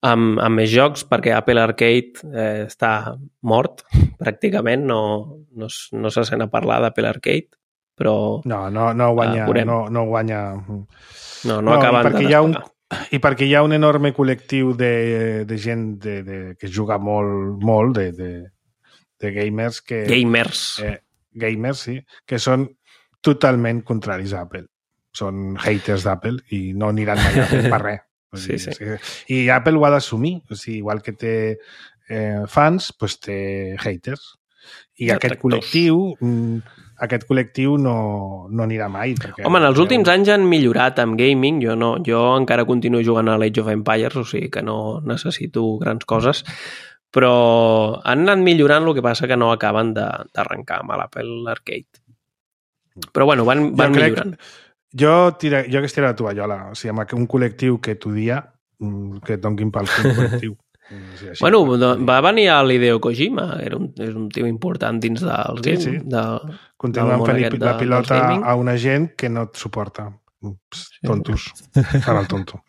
amb, amb més jocs, perquè Apple Arcade eh, està mort, pràcticament, no, no, no se sent a parlar d'Apple Arcade, però... No, no, no guanya... Uh, no, no guanya... No, no, no acaben perquè de hi ha un I perquè hi ha un enorme col·lectiu de, de gent de, de, que juga molt, molt de, de, de gamers que... Gamers. Eh, gamers, sí, que són totalment contraris a Apple. Són haters d'Apple i no aniran mai a Apple per res. Sí, sí. I Apple ho ha d'assumir. O sigui, igual que té eh, fans, doncs té haters. I ja aquest col·lectiu... aquest col·lectiu no, no anirà mai. Perquè Home, en els últims anys han millorat amb gaming. Jo, no, jo encara continuo jugant a l'Age of Empires, o sigui que no necessito grans coses, però han anat millorant, el que passa que no acaben d'arrencar amb l'Apple Arcade. Però bueno, van, van jo millorant. Jo, tira, jo hagués tirat la tovallola. O sigui, amb un col·lectiu que t'odia, que et donguin pel col·lectiu. Sí, bueno, va venir a l'Hideo Kojima, era un, és un tio important dins dels sí, games. Sí. De, Continuen fent de, la pilota a una gent que no et suporta. Ups, tontos. Fan el tonto.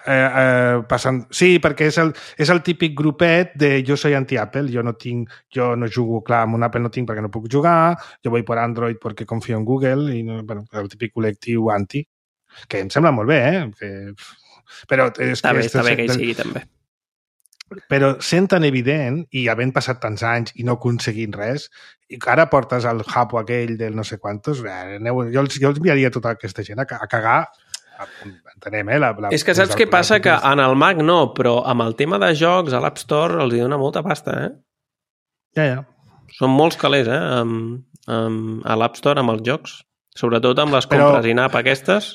Eh, eh, passen... Sí, perquè és el, és el típic grupet de jo soy anti-Apple, jo no tinc, jo no jugo, clar, amb un Apple no tinc perquè no puc jugar, jo vull per Android perquè confio en Google, i no, bueno, el típic col·lectiu anti, que em sembla molt bé, eh? Que... Però és està que bé, està bé que hi sigui, també. Però sent tan evident, i havent passat tants anys i no aconseguint res, i ara portes el japo aquell del no sé quantos, aneu, jo, els, jo els enviaria tota aquesta gent a, a cagar, entenem, eh? La, la, és que saps què passa? Que en el Mac no, però amb el tema de jocs, a l'App Store els hi dona molta pasta, eh? Ja, ja. Són molts calés, eh? Amb, amb, a l'App Store, amb els jocs. Sobretot amb les compres però... in-app aquestes.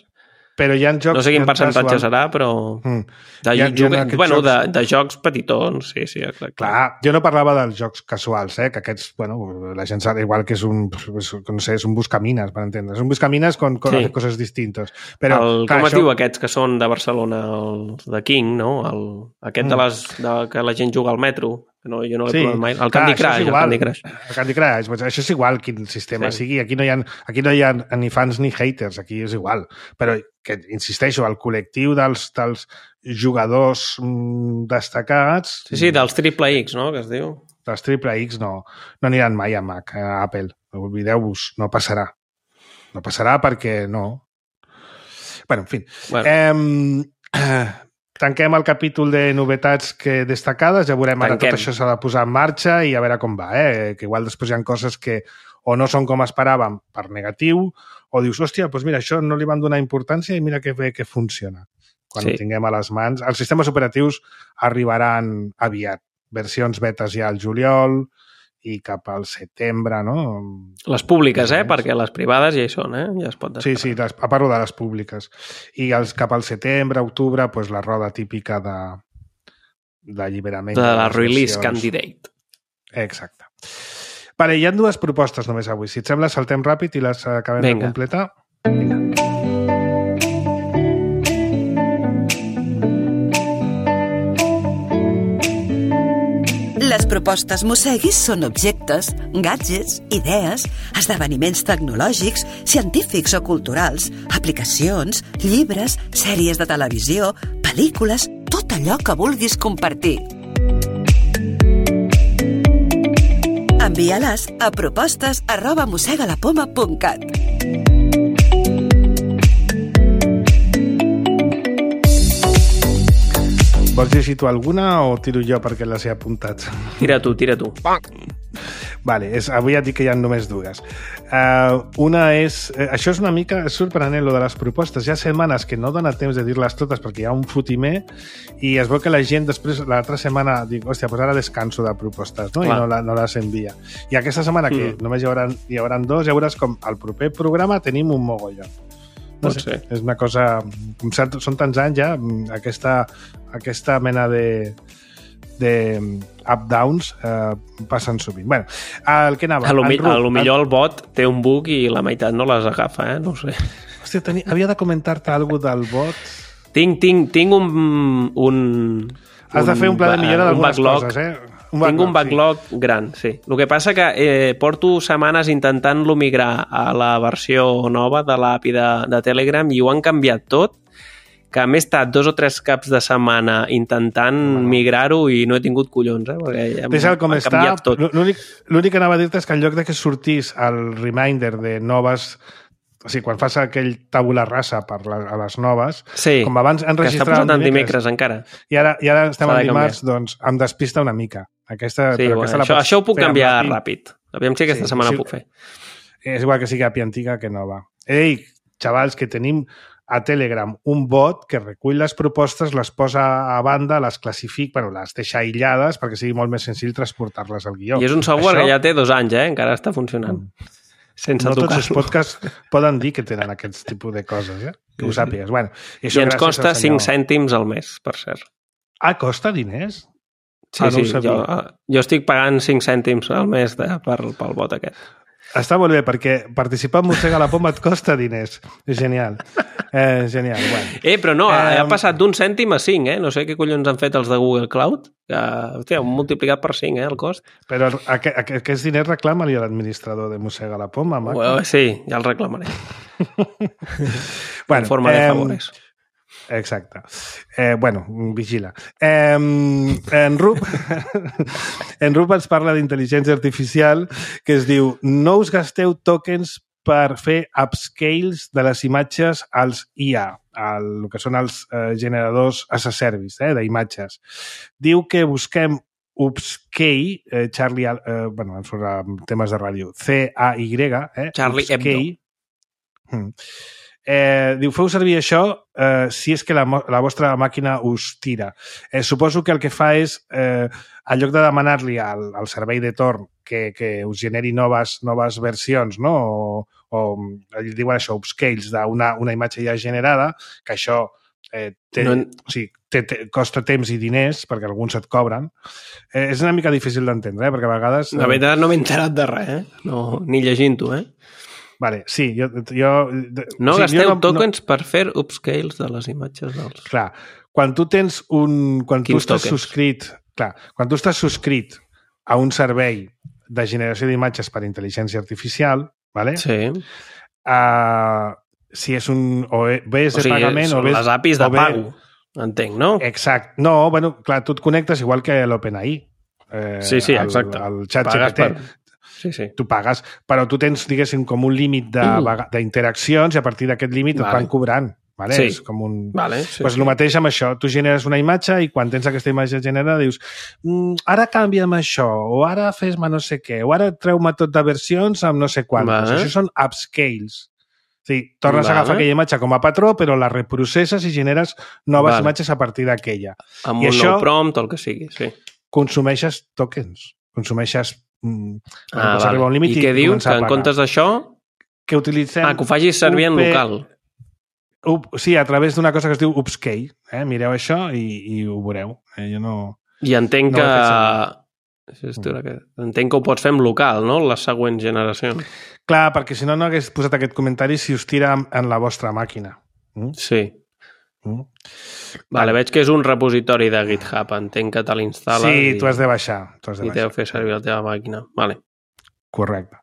Però hi ha jocs... No sé quin percentatge casual... serà, però... Mm. De, hi ha, hi ha bueno, jocs... de, de jocs petitons, sí, sí, exacte. Clar, jo no parlava dels jocs casuals, eh? Que aquests, bueno, la gent sap igual que és un, no sé, és un buscamines, per entendre. És un buscamines con, con sí. coses distintes. Però, el, clar, com això... es diu aquests que són de Barcelona, els de King, no? El, aquest mm. de les de, que la gent juga al metro. No, jo no l'he sí. provat mai. El Candy Crush. El Candy Crush. El Candy Crush. Pues això és igual quin sistema sí. sigui. Aquí no, hi ha, aquí no hi ha ni fans ni haters. Aquí és igual. Però, que insisteixo, el col·lectiu dels, dels jugadors mm, destacats... Sí, sí, dels triple X, no?, que es diu. Dels triple X no, no aniran mai a Mac, a Apple. Oblideu-vos, no passarà. No passarà perquè no. Bueno, en fi. Bueno. Eh, tanquem el capítol de novetats que destacades, ja veurem ara Tanquem. Tot això s'ha de posar en marxa i a veure com va, eh? Que igual després hi ha coses que o no són com esperàvem per negatiu, o dius, hòstia, doncs mira, això no li van donar importància i mira que bé que funciona. Quan sí. ho tinguem a les mans. Els sistemes operatius arribaran aviat. Versions betes ja al juliol i cap al setembre, no? Les públiques, eh? Perquè les privades ja hi són, eh? Ja es pot descarregar. Sí, sí, les, a part de les públiques. I els, cap al setembre, octubre, pues, la roda típica de d'alliberament. De, de la release versions. Candidate. Exacte. Vale, hi ha dues propostes només avui. Si et sembla, saltem ràpid i les acabem Venga. de completar. Vinga. Les propostes Mosseguis són objectes, gadgets, idees, esdeveniments tecnològics, científics o culturals, aplicacions, llibres, sèries de televisió, pel·lícules, tot allò que vulguis compartir. Envia-les a propostes arroba mossegalapoma punt cat. Vols llegir tu alguna o tiro jo perquè les he apuntat? Tira tu, tira tu. Vale, és, avui et dic que hi ha només dues. Uh, una és... Eh, això és una mica és sorprenent, lo de les propostes. Hi ha setmanes que no dona temps de dir-les totes perquè hi ha un fotimer i es veu que la gent després, l'altra setmana, dic, hòstia, doncs ara descanso de propostes, no? Clar. I no, la, no les envia. I aquesta setmana, que mm. només hi haurà, hi haurà dos, ja veuràs com al proper programa tenim un mogollon. No sé, és una cosa... Són tants anys ja, aquesta, aquesta mena de, de up-downs eh, passen sovint. Bueno, el que anava... A lo, Rup, a lo millor el bot té un bug i la meitat no les agafa, eh? No ho sé. Hòstia, tenia, havia de comentar-te alguna del bot. Tinc, tinc, tinc un, un... Has de fer un pla de millora d'algunes coses, eh? Un backlog, Tinc un backlog sí. gran, sí. El que passa que eh, porto setmanes intentant-lo migrar a la versió nova de l'A P I de, de Telegram i ho han canviat tot, que m'he estat dos o tres caps de setmana intentant no. migrar-ho i no he tingut collons, eh? Perquè ja Deixa'l com està. L'únic que anava a dir-te és que en lloc de que sortís el reminder de noves... O sigui, quan fas aquell tabula rasa per la, a les noves, sí, com abans han registrat... que està posat en dimecres encara. I ara, i ara estem en dimarts, doncs em despista una mica. Aquesta, sí, bueno, aquesta això, això ho puc canviar ràpid. Aviam si aquesta sí, setmana sí, puc fer. És igual que sigui A P I antiga que nova. Ei, xavals, que tenim a Telegram un bot que recull les propostes, les posa a banda, les classifica, bueno, les deixa aïllades perquè sigui molt més senzill transportar-les al guió. I és un software això... que ja té dos anys, eh? Encara està funcionant. Mm. Sense no tocar-lo. Tots els podcasts poden dir que tenen aquest tipus de coses, eh? Que ho sàpigues. Bueno, i, I ens costa cinc cèntims al mes, per cert. Ah, costa diners? Sí, ah, no sí, jo, jo estic pagant cinc cèntims al mes de, per, pel bot aquest. Està molt bé, perquè participar en Mossega la Poma et costa diners. És genial. Eh, genial, bueno. Eh, però no, eh, ha passat d'un cèntim a cinc, eh? No sé què collons han fet els de Google Cloud, que, hòstia, han multiplicat per cinc, eh, el cost. Però aqu aquests diners reclama-li a l'administrador de Mossega la Poma, Mac. Well, sí, ja el reclamaré. Bueno, en forma de favores. Eh, Exacte. Eh, bueno, vigila. Eh, en Rup en Rup ens parla d'intel·ligència artificial que es diu no us gasteu tokens per fer upscales de les imatges als I A, el que són els eh, generadors as a service, eh, d'imatges. Diu que busquem upscale, eh, Charlie, eh, bueno, em surt temes de ràdio, C A Y, eh, Charlie Hebdo. Mm. Eh, diu, feu servir això eh, si és que la, la vostra màquina us tira. Eh, suposo que el que fa és, eh, en lloc de demanar-li al, al servei de torn que, que us generi noves, noves versions, no? o, o diuen això, upscales d'una una imatge ja generada, que això eh, té, no... o sigui, té, té, costa temps i diners, perquè alguns et cobren. Eh, és una mica difícil d'entendre, eh? Perquè a vegades... La veritat no m'he enterat de res, eh? No, ni llegint-ho, eh? Vale, sí, jo... jo no sí, gasteu jo no, tokens no... per fer upscales de les imatges dels... Clar, quan tu tens un... Quan Quins tu estàs tokens? subscrit... Clar, quan tu estàs subscrit a un servei de generació d'imatges per intel·ligència artificial, vale? Sí. Uh, si és un... O bé és o de sigui, pagament o bé... les A P Is de bé... pago, entenc, no? Exacte. No, bueno, clar, tu et connectes igual que l'OpenAI. Eh, sí, sí, exacte. El, el xat G P T. Per... Sí, sí. Tu pagues, però tu tens, diguéssim, com un límit d'interaccions i a partir d'aquest límit vale. Et van cobrant. Vale? Sí. És com un... Vale, sí, pues sí. El mateix amb això. Tu generes una imatge i quan tens aquesta imatge generada dius mm, ara canvia'm això, o ara fes-me no sé què, o ara treu-me tot de versions amb no sé quantes. Vale. Això són upscales. Sí, tornes vale. a agafar aquella imatge com a patró, però la reprocesses i generes noves vale. Imatges a partir d'aquella. Amb I un això, nou prompt o el que sigui, sí. Consumeixes tokens. Consumeixes... Mm, ah, vale. Un límit I, I què diu? Que en comptes d'això... Que utilitzem... Ah, que ho facis servir en local. Up, sí, a través d'una cosa que es diu upscale. Eh? Mireu això i, i ho veureu. Eh? Jo no... I entenc no que... que... Entenc que ho pots fer en local, no? Les següents generacions. Clar, perquè si no, no hagués posat aquest comentari si us tira en la vostra màquina. Mm? Sí. Mm? Vale, veig que és un repositori de GitHub. Entenc que te l'instal·les. Sí, i... tu has de baixar. Tu has de I t'heu fer servir la teva màquina. Vale. Correcte.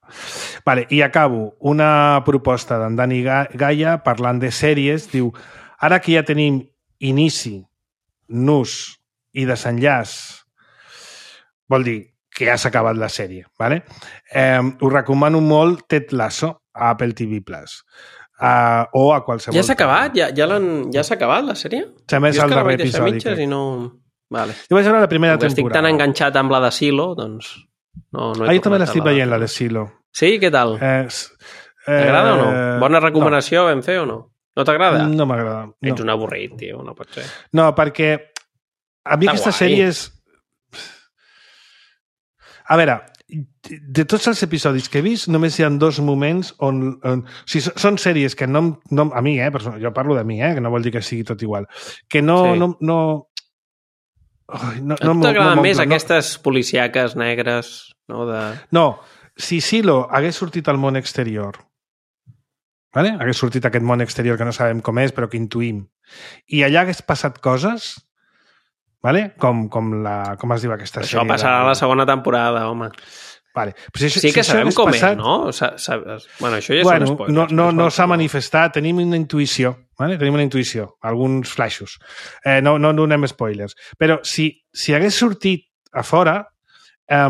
Vale, i acabo. Una proposta d'en Dani Gaia parlant de sèries. Diu, ara que ja tenim inici, nus i desenllaç, vol dir que ja s'ha acabat la sèrie. Vale? Eh, us recomano molt Ted Lasso a Apple T V Plus. Uh, o a qualsevol... Ja s'ha acabat? Ja, ja, ja s'ha acabat la sèrie? S'ha més el darrer episodi. Jo i no... Vale. Jo vaig veure la primera Com temporada. estic tan enganxat amb la de Silo, doncs... No, no ah, jo també l'estic veient, la de Silo. Sí? Què tal? Eh, eh, T'agrada o no? Bona recomanació no. vam fer o no? No t'agrada? No m'agrada. No. Ets un avorrit, tio, no pot ser. No, perquè a mi aquesta sèrie és... A veure, de tots els episodis que he vist, només hi ha dos moments on... on o sigui, són sèries que no, no... A mi, eh? Jo parlo de mi, eh? Que no vol dir que sigui tot igual. Que no... Sí. no, no Ai, no, no, t'agraden no més no, aquestes policiaques negres, no? De... No, si Silo hagués sortit al món exterior, vale? Hagués sortit aquest món exterior que no sabem com és, però que intuïm, i allà hagués passat coses, vale? com, com, la, com es diu aquesta Això sèrie. Això passarà a la segona temporada, home. Vale. Però si, sí que si sabem com passat... és, no? Sa, sa, bueno, això ja bueno, són spoilers. No, no, no s'ha manifestat, tenim una intuïció, vale? tenim una intuïció, alguns flaixos. Eh, no, no donem spoilers. Però si, si hagués sortit a fora, eh,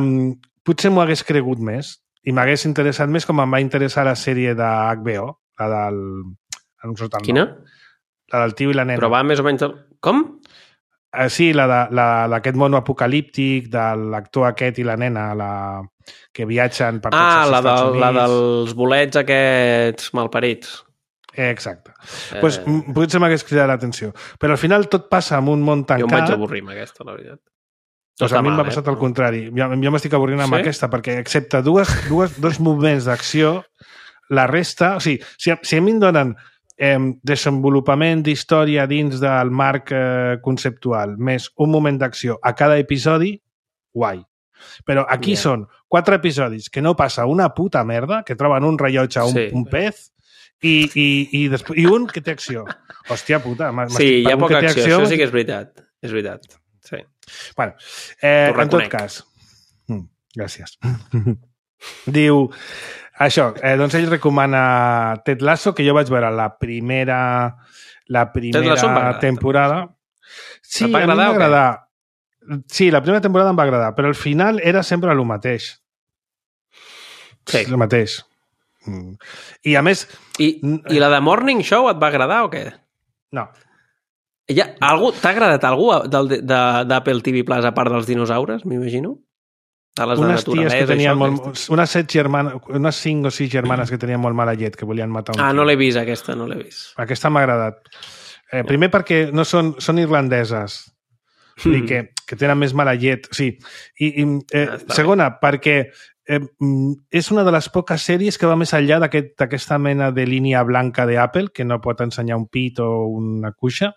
potser m'ho hagués cregut més i m'hagués interessat més com em va interessar la sèrie de H B O, la del... No surt el Quina? nom. La del tio i la nena. Però va més o menys... Com? Uh, sí, la d'aquest mono apocalíptic, de l'actor aquest i la nena, la que viatgen per tots ah, els la Estats del, Units. Ah, la dels bolets aquests malparits. Eh, exacte. Eh... Pues, potser m'hagués cridat l'atenció. Però al final tot passa en un món tancat. Jo em vaig avorrir amb aquesta, la veritat. Pues a mi m'ha passat eh? al contrari. Jo, jo m'estic avorrint amb sí? aquesta, perquè excepte dues, dues, dos moviments d'acció, la resta... O sigui, si, si a mi em donen eh, desenvolupament d'història dins del marc eh, conceptual, més un moment d'acció a cada episodi, guai. Però aquí yeah. són quatre episodis que no passa una puta merda, que troben un rellotge, un, sí. un pez, i, i, i, després, i un que té acció. Hòstia puta. Sí, hi ha poca acció, acció, això sí que és veritat. És veritat, sí. Bueno, eh, en tot cas... Mm, gràcies. Diu... Això, eh, doncs ell recomana Ted Lasso, que jo vaig veure la primera, la primera temporada. Sí, a mi em va agradar. Sí, la primera temporada em va agradar, però al final era sempre el mateix. Sí. El mateix. I a més... I, I la de Morning Show et va agradar o què? No. Ja, algú, t'ha agradat algú d'Apple T V Plus a part dels dinosaures, m'imagino? De les unes de ties que tenien això, molt, unes set germanes, unes cinc o sis germanes que tenien molt mala llet, que volien matar un Ah, tio. no l'he vist, aquesta, no l'he vist. Aquesta m'ha agradat. Eh, primer perquè no són, són irlandeses, mm. que, que tenen més mala llet. Sí. I, i, eh, ah, segona, bé. perquè eh, és una de les poques sèries que va més enllà d'aquesta aquest, mena de línia blanca d'Apple, que no pot ensenyar un pit o una cuixa.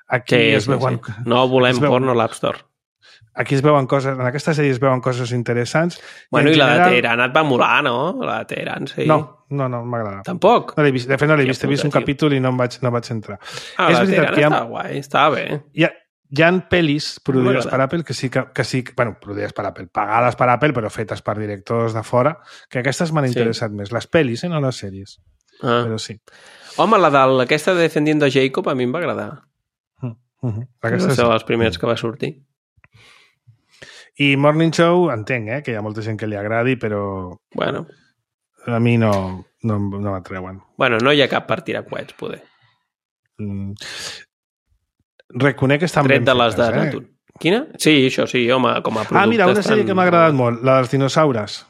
Aquí sí, es sí, veuen... Sí. No volem veuen... porno a l'App Store. Aquí es veuen coses, en aquesta sèrie es veuen coses interessants. Bueno, i, i general... la de Teheran et va molar, no? La de Teheran, sí. No, no, no m'agrada. Tampoc? No l'he vist, de fet no l'he vist, he vist un tio. capítol i no em vaig, no vaig entrar. Ah, és la de Teheran ha... està guai, està bé. Hi ha, hi ha pel·lis produïdes per Apple que sí que, que sí, bueno, produïdes per Apple, pagades per Apple, però fetes per directors de fora, que aquestes m'han sí. interessat més. Les pel·lis, eh, no les sèries. Ah. Però sí. Home, la d'aquesta de Defendiendo Jacob a mi em va agradar. Uh -huh. Aquesta va ser les primers que va sortir. I Morning Show, entenc, eh, que hi ha molta gent que li agradi, però bueno. a mi no, no, no m'atreuen. Bueno, no hi ha cap per tirar coets, poder. Mm. Reconec que estan Tret ben de les fetes, de eh? Natur. Quina? Sí, això sí, home, com a producte. Ah, mira, una sèrie estan... que m'ha agradat molt, la dels dinosaures.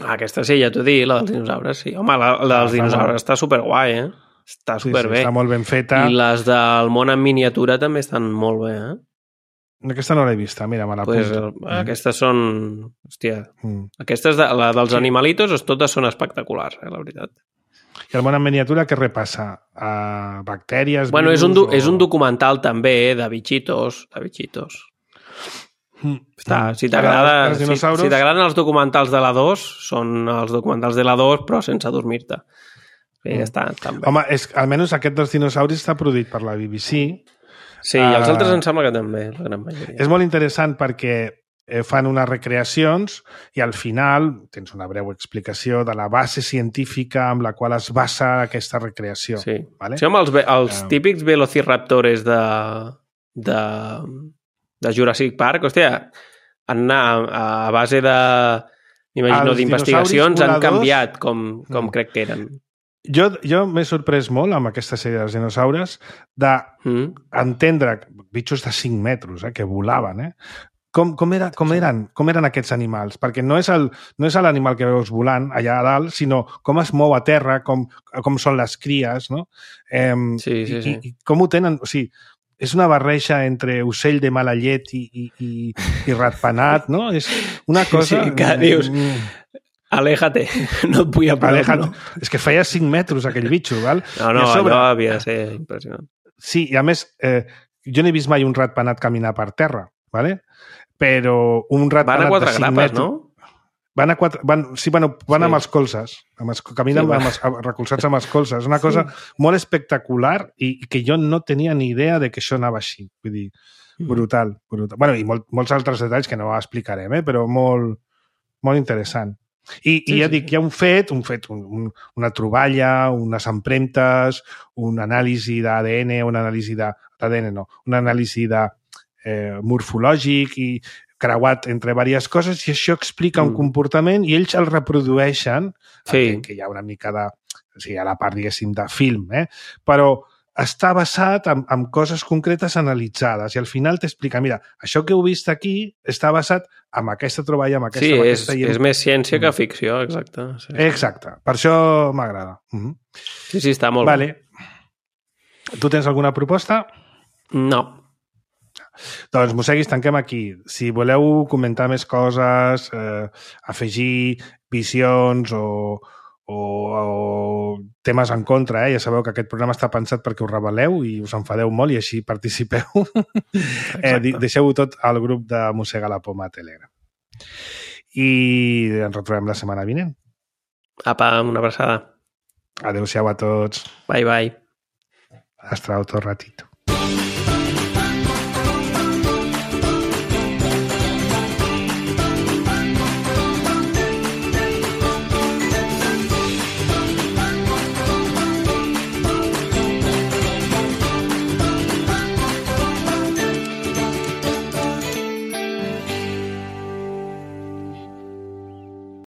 Ah, aquesta sí, ja t'ho dic, la dels dinosaures, sí. Home, la, la dels ah, dinosaures molt... està superguai, eh? Està superbé. Sí, sí, està molt ben feta. I les del món en miniatura també estan molt bé, eh? Aquesta no l'he vista, mira, me la pues, apunto. Mm. Aquestes són... Hòstia, mm. aquestes, de, la dels sí. animalitos, totes són espectaculars, eh, la veritat. I el món en miniatura què repassa? A bactèries, bueno, virus... és un, o... és un documental també de bichitos, de bichitos. Mm. Està, si t'agrada, si, si t'agraden els documentals de la dos, són els documentals de la dos, però sense dormir-te. Sí, mm. està, està bé. Home, és, almenys aquest dels dinosauris està produït per la B B C. Sí, i els altres em sembla que també, la gran majoria. És molt interessant perquè fan unes recreacions i al final tens una breu explicació de la base científica amb la qual es basa aquesta recreació. Sí, vale? sí home, els, els uh... típics velociraptors de, de, de Jurassic Park, hòstia, han anat a, a base de, m'imagino, d'investigacions, han canviat com, com mm. crec que eren. Jo, jo m'he sorprès molt amb aquesta sèrie dels dinosaures d'entendre mm. bitxos de cinc metres eh, que volaven, eh? Com, com, era, com, eren, com eren aquests animals? Perquè no és el, no és l'animal que veus volant allà a dalt, sinó com es mou a terra, com, com són les cries, no? Eh, sí, sí, sí. I, i com ho tenen... O sigui, és una barreja entre ocell de mala llet i, i, i, i ratpenat, no? És una cosa... Sí, que dius... Aléjate, no et vull a prop, no? És que feia cinc metres aquell bitxo, val? No, no, sobre... allò havia de ser impressionant. Sí, i a més, eh, jo no he vist mai un ratpenat caminar per terra, vale? Però un ratpenat van a de cinc grapes, metres... No? Van a quatre... Van, sí, bueno, van sí. amb els colzes. Amb els, caminen sí, amb els, recolzats amb els colzes. És una cosa sí. molt espectacular i, i que jo no tenia ni idea de que això anava així. Vull dir, brutal. brutal. Bueno, i molt, molts altres detalls que no explicarem, eh? Però molt, molt interessant. I, sí, i ja sí, dic, hi ha un fet, un fet un, un, una troballa, unes empremtes, una anàlisi d'A D N, una anàlisi d'A D N, no, una anàlisi de eh, morfològic i creuat entre diverses coses i això explica mm. un comportament i ells el reprodueixen, sí. que hi ha una mica de, o sigui, a la part, diguéssim, de film, eh? Però està basat en, en coses concretes analitzades i al final t'explica, mira, això que heu vist aquí està basat en aquesta troballa, en aquesta... Sí, en és, aquesta, és més ciència que ficció, exacte. Sí. Exacte, per això m'agrada. Uh -huh. Sí, sí, està molt vale. bé. Tu tens alguna proposta? No. Doncs, Mosseguis, tanquem aquí. Si voleu comentar més coses, eh, afegir visions o... O, o temes en contra, eh? Ja sabeu que aquest programa està pensat perquè us rebel·leu i us enfadeu molt i així participeu. eh, Deixeu-ho tot al grup de Mossega la Poma a Telegram. I ens retrobem la setmana vinent. Apa, una abraçada. Adéu-siau a tots. Bye, bye. Hasta otro ratito.